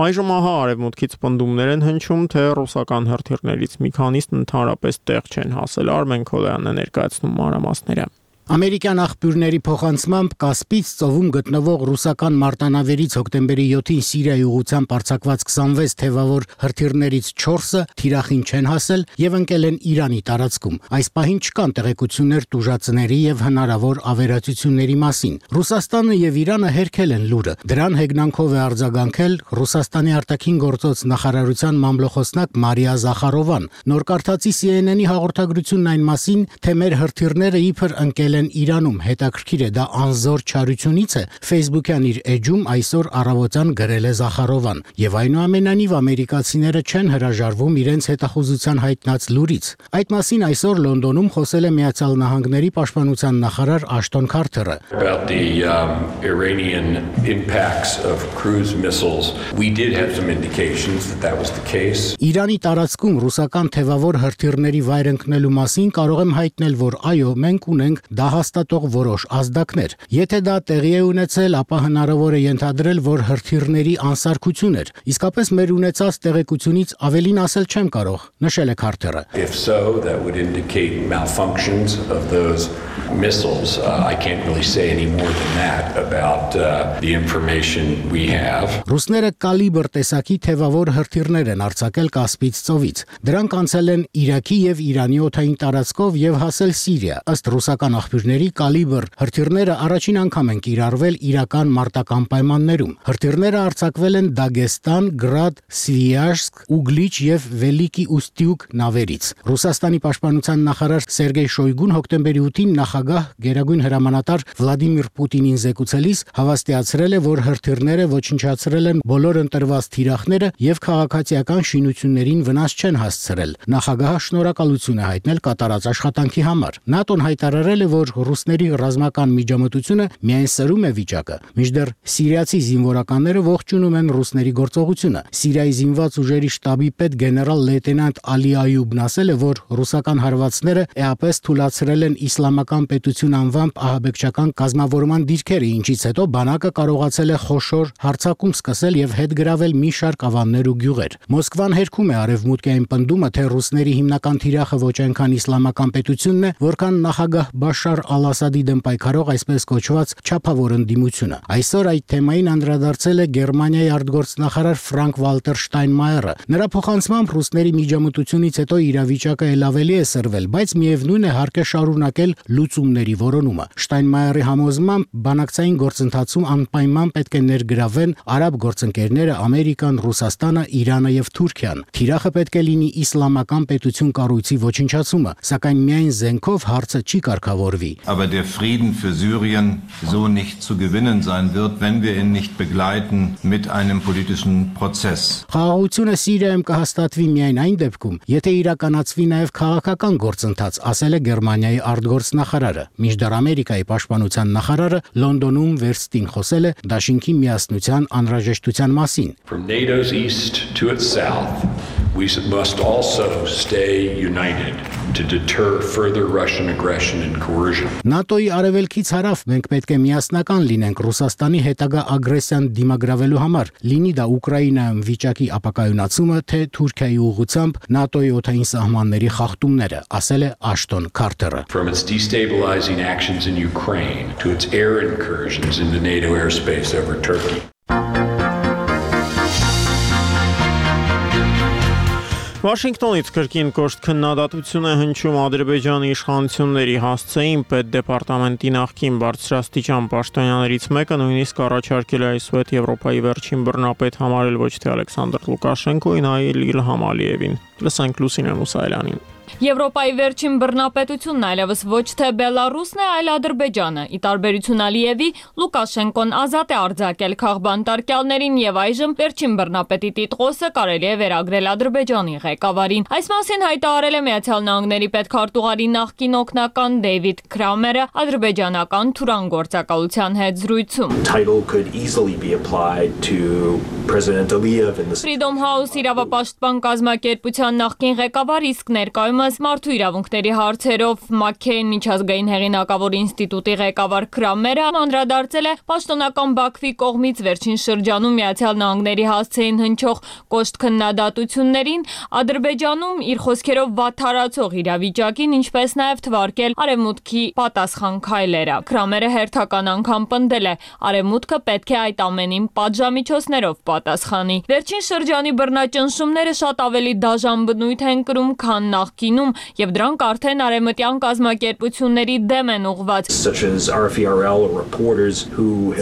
Այժմ ահա արևմուտքից պնդումներ են հնչում, թե ռուսական հրթիռներից մի քանիսն ընդհանրապես տեղ չեն հասել։ Արմեն Քոլյանն է ներկայացնում մանրամասները։ Ամերիկյան աղբյուրների փոխանցմամբ Կասպից ծովում գտնվող ռուսական մարտանավերից հոկտեմբերի 7-ին Սիրիայի ուղղությամբ արձակված 26 թևավոր հրթիռներից 4-ը թիրախին չեն հասել եւ ընկել են Իրանի տարածքում։ Այս պահին չկան տեղեկություններ տուժածների եւ հնարավոր ավերածությունների մասին։ Ռուսաստանը եւ Իրանը հերքել են լուրը։ Դրան հեգնանքով է արձագանքել Ռուսաստանի արտաքին գործոց նախարարության մամլոխոսնակ Մարիա Զախարովան։ Նոր կարդացի CNN-ի հաղորդագրությունն այն մասին, թե մեր հրթիռները իբր ընկել են Իրանում, հետաքրքիր է, դա անզոր չարությունից է, Facebook-յան իր էջում այսօր առավոտյան գրել է Զախարովան, եւ այնուամենայնիվ ամերիկացիները չեն հրաժարվում իրենց հետախուզության հայտնած լուրից։ Այդ մասին այսօր Լոնդոնում խոսել է Միացյալ Նահանգների պաշտպանության նախարար Աշտոն Քարթերը։ About the Iranian impacts of cruise missiles, we did have some indications that was the case. Իրանի տարածքում ռուսական թևավոր հրթիռների վայր ընկնելու մասին կարող եմ հայտնել, որ այո, մենք ունենք հաստատող որոշ ազդակներ։ Եթե դա տեղի է ունեցել, ապա հնարավոր է ենթադրել, որ հրթիռների անսարքություն էր։ Իսկապես մեր ունեցած տեղեկությունից ավելին ասել չեմ կարող, նշել է Քարթերը։ If so, that would indicate malfunctions of those missiles. I can't really say any more than that about the information we have. Ռուսները կալիբր տեսակի թևավոր հրթիռներ են արձակել Կասպից ծովից։ Դրանք անցել են Իրաքի եւ Իրանի օդային տարածքով եւ հասել Սիրիա։ Ըստ ռուսական աղբյուրների կալիբր հրթիռները առաջին անգամ են կիրառվել իրական մարտական պայմաններում։ Հրթիռները արձակվել են Դագեստան, Գրադ, Սվիաժսկ, Ուգլիչ եւ Վելիկի Ուստյուկ նավերից։ Ռուսաստանի պաշտպանության նախարար Սերգեյ Շոյգուն հոկտեմբերի 8-ին նախագահ գերագույն հրամանատար Վլադիմիր Պուտինին զեկուցելիս հավաստիացրել է, որ հրթիռները ոչնչացրել են բոլոր ընտրված թիրախները եւ քաղաքացիական շինություններին վնաս չեն հասցրել։ Նախագահը շնորհակալություն է հայտնել կատարած աշխատանքի համար։ ՆԱՏՕ-ն հայտարարել է, որ ռուսների ռազմական միջամտությունը միայն սրում է վիճակը, մինչդեռ սիրիացի զինվորականները ողջունում են ռուսների գործողությունը։ Սիրիայի զինված ուժերի շտաբի պետ գեներալ լեյտենանտ Ալի Այուբն ասել է, որ ռուսական հարվածները էապես թույլատրել են իսլամական պետություն անվամբ ահաբեկչական կազմավորման դիրքերը, ինչից հետո բանակը կարողացել է խոշոր հարձակում սկսել եւ հետ գրավել մի շարք ավաններ ու գյուղեր։ Մոսկվան հերքում է արևմուտքային պնդումը, թե ռուսների հիմնական թիրախը ոչ այնքան իսլամական պետությունն է, որքան նախագահ Բաշար Բաշար al-Ասադի դեմ պայքարող այսպես կոչված չափավոր ընդդիմությունը։ Այսօր այդ թեմային անդրադարձել է Գերմանիայի արտգործնախարար Ֆրանկ Վալտեր Շտայնմայերը։ Նրա փոխանցմամբ ռուսների միջամտությունից հետո իրավիճակը ել ավելի է սրվել, բայց միևնույն է հարկ է շարունակել լուծումների որոնումը։ Շտայնմայերի համոզմամբ բանակցային գործընթացում անպայման պետք է ներգրավեն արաբ գործընկերները Ամերիկան, Ռուսաստանը, Իրանը եւ Թուրքիան։ Թիրախը պետք է լինի իսլամական պետություն կառույցի ոչնչացումը, սակայն միայն զենքով հարցը չի կարգավորվի։ Aber der Frieden für Syrien so nicht zu gewinnen sein wird, wenn wir ihn nicht begleiten mit einem politischen Prozess. Խաղաղությունը Սիրիայում կհաստատվի միայն այն դեպքում, եթե իրականացվի նաև քաղաքական գործընթաց, ասել է Գերմանիայի արտգործնախարարը։ Մինչդեռ Ամերիկայի պաշտպանության նախարարը Լոնդոնում վերստին խոսել է դաշինքի միասնության անհրաժեշտության մասին։ From NATO's east to its south, we must also stay united to deter further Russian aggression and coercion. ՆԱՏՕ-ի արևելքից հարավ մենք պետք է միասնական լինենք Ռուսաստանի հետագա ագրեսիան դիմագրավելու համար, լինի դա Ուկրաինայում վիճակի ապակայունացումը, թե Թուրքիայի ուղղությամբ ՆԱՏՕ-ի օդային սահմանների խախտումները, ասել է Աշտոն Քարթերը։ From its destabilizing actions in Ukraine to its air incursions into NATO airspace over Turkey. Վաշինգտոնից կրկին կոշտ քննադատություն է հնչում Ադրբեջանի իշխանությունների հասցեին պետդեպարտամենտի նախկին բարձրաստիճան պաշտոնյաներից մեկը նույնիսկ առաջարկել է այսուհետ Եվրոպայի վերջին բռնապետ համարել ոչ թե Ալեքսանդր Լուկաշենկոին, այլ Իլհամ Ալիևին։ Լսենք Լուսինե Մուսայելյանին։ Եվրոպայի վերջին բռնապետությունն այլևս ոչ թե Բելարուսն է, այլ Ադրբեջանը։ Ի տարբերություն Ալիևի, Լուկաշենկոն ազատ է արձակել քաղբանտարկյալներին եւ այժմ վերջին բռնապետի տիտղոսը կարելի է վերագրել Ադրբեջանի ղեկավարին։ Այս մասին հայտարարել է Միացյալ Նահանգների պետքարտուղարի նախկին օգնական Դեյվիդ Քրամերը ադրբեջանական Թուրան գործակալության հետ զրույցում։ Freedom House իրավապաշտպան կազմակերպության նախկին ղեկավար, իսկ ներկայումս մարդու իրավունքների հարցերով Մաքքեյն միջազգային հեղինակավոր ինստիտուտի ղեկավար Քրամերը անդրադարձել է պաշտոնական Բաքվի կողմից վերջին շրջանում Միացյալ Նահանգների հասցեին հնչող կոշտ քննադատություններին, Ադրբեջանում իր խոսքերով վատթարացող իրավիճակին, ինչպես նաև թվարկել Արևմուտքի պատասխան քայլերը։ Քրամերը հերթական անգամ պնդել է, Արևմուտքը պետք է այդ ամենին պատժամիջոցներով պատասխանի։ Վերջին շրջանի բռնաճնշումները շատ ավելի դաժան բնույթ են կրում, քան նախկինում, եւ դրանք արդեն արևմտյան կազմակերպությունների դեմ են ուղղված։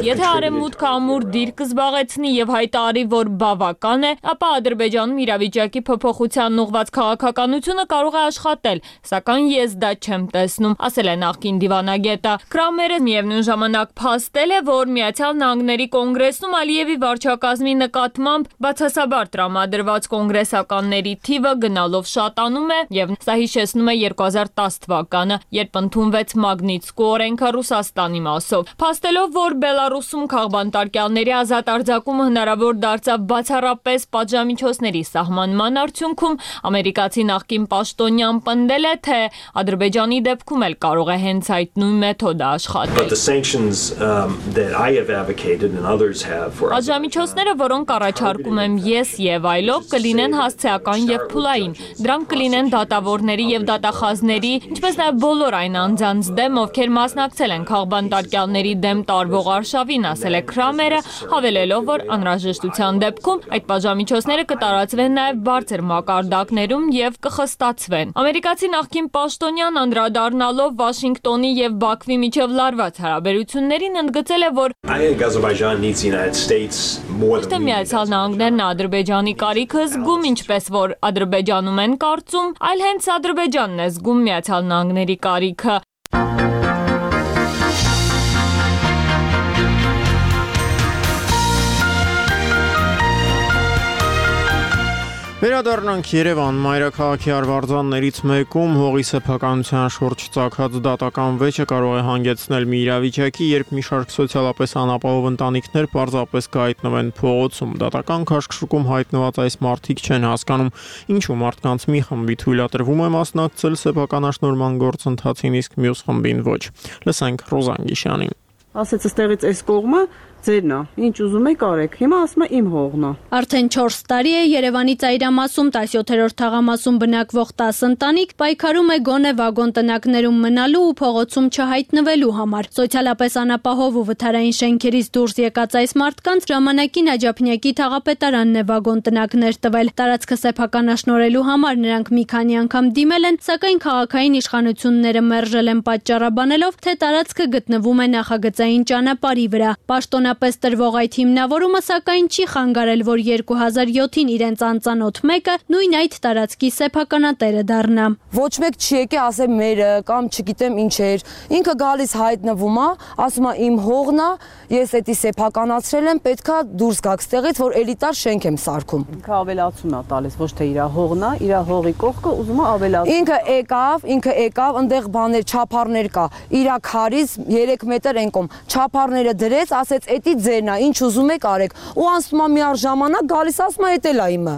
Եթե Արևմուտքը ամուր դիրք զբաղեցնի եւ հայտարարի, որ բավական է, ապա Ադրբեջանում իրավիճակի փոփոխությանն ուղղված քաղաքականությունը կարող է աշխատել, սակայն ես դա չեմ տեսնում, ասել է նախկին դիվանագետը։ Քրամերը միևնույն ժամանակ փաստել է, որ Միացյալ Նահանգների կոնգրեսում Ալիևի վարչակազմի նկատմամբ բացասաբար տրամադրված կոնգրեսականների թիվը գնալով շատանում է եւ սա հիշեցնում է 2010 թվականը, երբ ընդունվեց Մագնիտսկու օրենքը Ռուսաստանի մասով։ Փաստելով, որ Բելարուսում քաղբանտարկյալների ազատ արձակումը հնարավոր դարձավ բացառապես պատժամիջոցների սահմանման արդյունքում, ամերիկացի նախկին պաշտոնյան պնդել է, թե Ադրբեջանի դեպքում էլ կարող է հենց այդ նույն մեթոդը աշխատել։ Պատժամիջոցները, որոնք առաջարկում եմ ես եւ այլոք, կլինեն հասցեական եւ փուլային։ Դրանք կլինեն դատավորների եւ դատախազների, ինչպես նաեւ բոլոր այն անձանց դեմ, ովքեր մասնակցել են քաղբանտարկյալների դեմ տարվող արշավին, ասել է Քրամերը, հավելելով, որ անհրաժեշտության դեպքում այդ պատժամիջոցները կտարածվեն նաեւ բարձր մակարդակներում եւ կխստացվեն։ Ամերիկացի նախկին պաշտոնյան անդրադառնալով Վաշինգտոնի եւ Բաքվի միջև լարված հարաբերություններին ընդգծել է, որ Ոչ Միացյալ Նահանգներն Ադրբեջանի կարիքը զգում, ինչպես որ Ադրբեջանում են կարծում, այլ հենց Ադրբեջանն է զգում Միացյալ Նահանգների կարիքը։ Վերադառնանք Երևան, մայրաքաղաքի արվարձաններից մեկում հողի սեփականության շուրջ ծագած դատական վեճը կարող է հանգեցնել մի իրավիճակի, երբ մի շարք սոցիալապես անապահով ընտանիքներ պարզապես կհայտնվեն փողոցում։ Դատական քաշքշուկում հայտնված այս մարդիկ չեն հասկանում, ինչու մարդկանց մի խմբի թույլատրվում է մասնակցել սեփականաշնորհման գործընթացին, իսկ մյուս խմբին ոչ։ Լսենք Ռոզան Գիշյանին։ Ասեց, ըստեղից այս կողմը ձերն է, ինչ ուզում եք արեք, հիմա ասում է իմ հողն է։ Արդեն 4 տարի է Երևանի ծայրամասում 17-րդ թաղամասում բնակվող 10 ընտանիք պայքարում է գոնե վագոն տնակներում մնալու ու փողոցում չհայտնվելու համար։ Սոցիալապես անապահով ու վթարային շենքերից դուրս եկած այս մարդկանց ժամանակին Աջափնյակի թաղապետարանն է վագոն տնակներ տվել։ Տարածքը սեփականաշնորելու համար նրանք մի քանի անգամ դիմել են, սակայն քաղաքային իշխանությունները մերժել են պատճառաբանելով, թե տարածքը գտնվում է նախագծային ճանապարհի վրա։ Պաշտոնապես տրվող այդ հիմնավորումը սակայն չի խանգարել, որ 2007-ին իրենց անծանոթ մեկը նույն այդ տարածքի սեփականատերը դառնա։ Ոչ մեկ չի եկե ասե մերը կամ չգիտեմ ինչ էր։ Ինքը գալիս հայտնվում է, ասում է իմ հողն է, ես էդի սեփականացրել եմ, պետքա դուրս գաք ստեղից, որ էլիտար շենք եմ սարքում։ Ինքը ավելացում է տալիս, ոչ թե իր հողն է, իր հողի կողքը ուզում է ավելացնել։ Ինքը եկավ, այնտեղ բաներ, չափարներ կա։ Իր քարից 3 մետր ենկոմ չափարները դրեց, ասեց էդի ձերն է, ինչ ուզում եք արեք։ Ու անցնում է մի առ ժամանակ գալիս ասում է էդ էլ է իմը։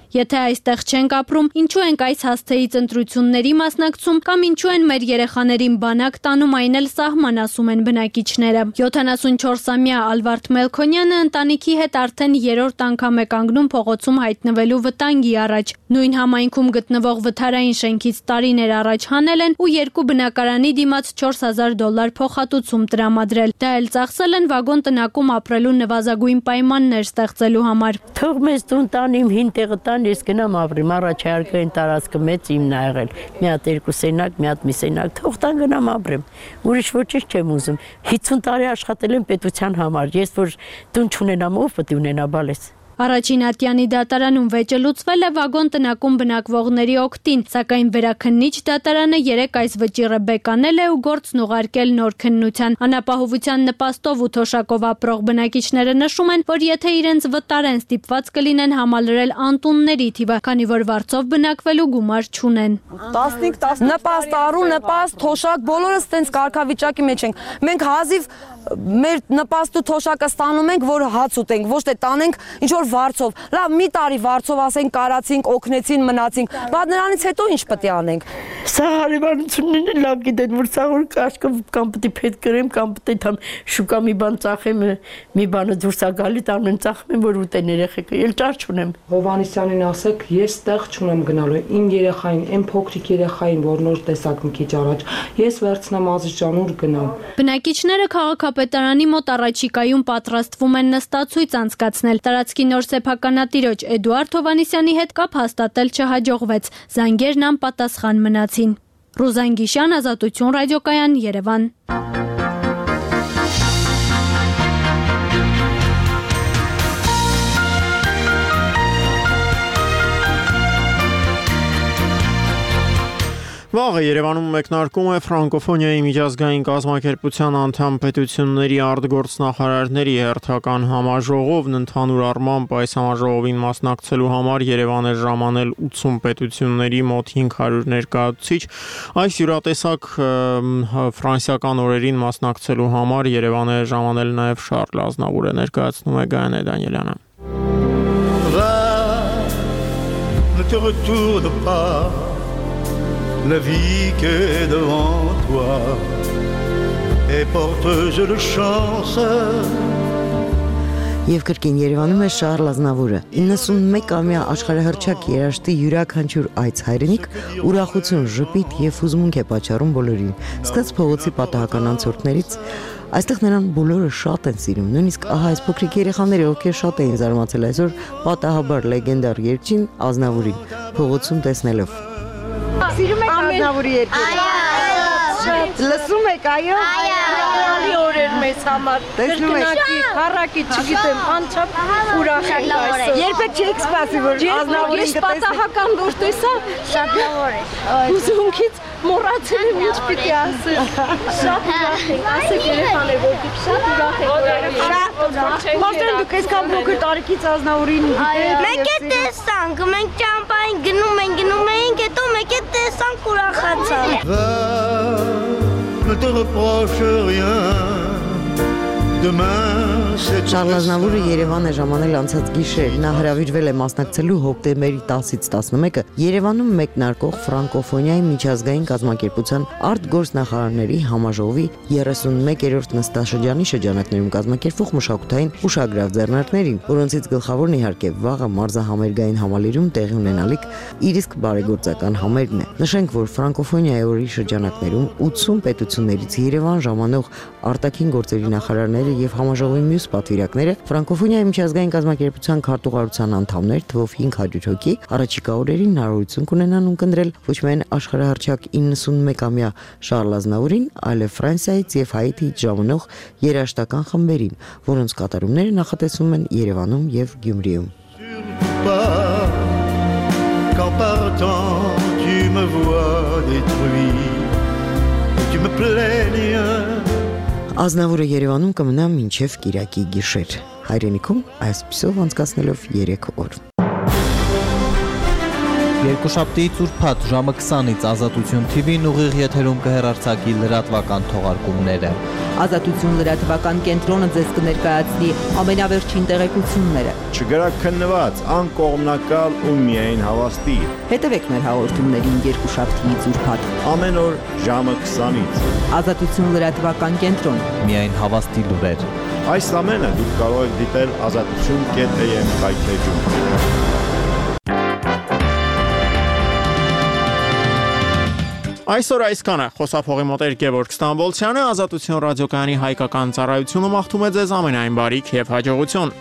Եթե այստեղ չենք ապրում, ինչու ենք այս հասցեից ընտրությունների մասնակցում կամ ինչու են մեր երեխաներին բանակ տանում, այն էլ սահման, ասում են բնակիչները։ 74-ամյա Ալվարդ Մելքոնյանը ընտանիքի հետ արդեն 3-րդ անգամ է կանգնում փողոցում հայտնվելու վտանգի առաջ։ Նույն համայնքում գտնվող վթարային շենքից տարիներ առաջ հանել են ու 2 բնակարանի դիմաց $4000 փոխհատուցում տրամադրել։ Դա էլ ծախսել են վագոն տնակում ապրելու նվազագույն պայմաններ ստեղծելու համար։ Թող մեզ տուն տան իմ հին տեղը տան, ես գնամ ապրեմ, առաջարկային տարածքը մեծ իմն ա եղել։ Մի հատ 2 սենյակ, մի հատ մի սենյակ, թող տան գնամ ապրեմ։ Ուրիշ ոչինչ չեմ ուզում։ 50 տարի աշխատել եմ պետության համար։ Ես որ տուն չունենամ, ով պետք է ունենա բալես։ Առաջին ատյանի դատարանում վեճը լուծվել է վագոն տնակում բնակվողների օգտին, սակայն վերաքննիչ դատարանը 3 այս վճիռը բեկանել է ու գործն ուղարկել նոր քննության։ Անապահովության նպաստով ու թոշակով ապրող բնակիչները նշում են, որ եթե իրենց վտարեն, ստիպված կլինեն համալրել անտունների թիվը, քանի որ վարձով բնակվելու գումար չունեն։ 15 նպաստ առու, նպաստ, թոշակ, բոլորս տենց կարգավիճակի մեջ ենք։ Մենք հազիվ մեր նպաստու թոշակը ստանում ենք, որ հաց ուտենք, ոչ թե տանենք ինչ որ վարձով։ Լավ, մի տարի վարձով ասենք կարացինք, օգնեցին, մնացինք, բայց նրանից հետո ինչ պետք է անենք։ Սա հարևանությունն է լավ գիտեն, որ սա որ կաշկը կամ պետք է փետ գրեմ, կամ պետք է շուկա մի բան ծախեմ, մի բանը դուրս է գալի, տանում եմ ծախում եմ, որ ուտեն երեխեքը, ել ճար չունեմ։ Հովհաննիսյանին ասեք, ես տեղ չունեմ գնալու, իմ երեխային, այն փոքրիկ երեխային, որ նոր տեսակ մի քիչ առաջ, ես վերցնեմ Ազիզջան ուր գնամ։ Բնակիչները քաղաքապետարանի մոտ առաջիկայում պատրաստվում են նստացույց անցկացնել։ Տարածքի նոր սեփականատիրոջ Էդուարդ Հովհաննիսյանի հետ կապ հաստատել չհաջողվեց։ Զանգերն անպատասխան մնացին։ Ռուզան Գիշյան, Ազատություն ռադիոկայան, Երևան։ Վաղը Երևանում մեկնարկում է ֆրանկոֆոնիայի միջազգային կազմակերպության անդամ պետությունների արտգործնախարարների հերթական համաժողովն ընդհանուր առմամբ այս համաժողովին մասնակցելու համար Երևան է ժամանել 80 պետությունների մոտ 500 ներկայացուցիչ։ Այս յուրատեսակ ֆրանսիական օրերին մասնակցելու համար Երևան է ժամանել նաև Շարլ Ազնավուրը, ներկայացնում է Գայանե Դանիելյանը։ La vie qui est devant toi et porteuse de chance. Եվ կրկին Երևանում է Շարլ Ազնավուրը 91-ամյա աշխարհահռչակ երաժշտի յուրաքանչյուր այց հայրենիք ուրախություն, ժպիտ եւ հուզմունք է պատճառում բոլորին։ Սկսած փողոցի պատահական անցորդներից այստեղ նրան բոլորը շատ են սիրում, նույնիսկ ահա այս փոքրիկ երեխաները, ովքեր շատ էին զարմացել այսօր պատահաբար լեգենդար երգչին Ազնավուրին փողոցում տեսնելով։ Սիրում եք Ազնավուրի երկերը։ Լսում եք, այո։ Այո, օրեր մեզ համար։ Կրկնակի, քառակի, չգիտեմ, անչափ ուրախ ենք այսօր։ Երբեք չեք սպասի, որ Ազնավուրին կտեսնեք։ Պատահական որ տեսա, շատ լավ է։ Հուզմունքից մոռացել եմ ինչ պիտի ասել։ Շատ ուրախ ենք, ասեք երեխաներ, որ շատ ուրախ ենք։ Շատ ուրախ։ Մաստերն դուք այսքան փոքր տարիքից Ազնավուրին գիտեք։ Մեկ է տեսանք, մենք ճամփային գնում էինք, հետո մեկ է տեսանք ուրախացանք։ Ne te reproche rien, demain Շարլ Ազնավուրը Երևան է ժամանել անցած գիշեր։ Նա հրավիրվել է մասնակցելու հոկտեմբերի 10-ից 11-ը Երևանում մեկնարկող ֆրանկոֆոնիայի միջազգային կազմակերպության արտգործնախարարների համաժողովի 31-րդ նստաշրջանի շրջանակներում կազմակերպվող մշակութային ուշագրավ ձեռնարկներին, որոնցից գլխավորն իհարկե վաղը մարզահամերգային համալիրում տեղի ունենալիք իր իսկ բարեգործական համերգն է։ Նշենք, որ ֆրանկոֆոնիայի օրի շրջանակներում 80 պետություններից Երևան ժամանող արտաքին գործերի նախարարները եւ համաժողովի մյուս պատվիրակները ֆրանկոֆոնիայի միջազգային կազմակերպության քարտուղարության անդամներ թվով 500 հոգի առաջիկա օրերին հնարավորություն կունենան ունկնդրել ոչ միայն աշխարհահռչակ 91-ամյա Շարլ Ազնավուրին, այլև Ֆրանսիայից եւ Հայիթիից ժամանող երաժշտական խմբերին, որոնց կատարումները նախատեսվում են Երևանում եւ Գյումրիում։ Qu'en partant tu me vois détruit, tu me plaignes. Ազնավուրը Երևանում կմնա մինչև կիրակի գիշեր։ Հայրենիքում այսպիսով անցկացնելով 3 օր։ Երկուշաբթիից ուրբաթ ժամը 20-ից Ազատություն TV-ն ուղիղ եթերում կհեռարձակի լրատվական թողարկումները։ Ազատություն լրատվական կենտրոնը ձեզ կներկայացնի ամենավերջին տեղեկությունները։ Չգրաքննված, անկողմնակալ ու միայն հավաստի։ Հետևեք մեր հաղորդումներին երկուշաբթիից ուրբաթ ամեն օր ժամը 20-ից։ Ազատություն լրատվական կենտրոն։ Միայն հավաստի լուրեր։ Այս ամենը դուք կարող եք դիտել azatutun.am կայքեջում։ Այսօր այսքանը խոսափողի մոտ Գևորգ Ստամբոլցյանը, Ազատություն ռադիոկայանի հայկական ծառայությունը մաղթում է ձեզ ամենայն բարիք եւ հաջողություն։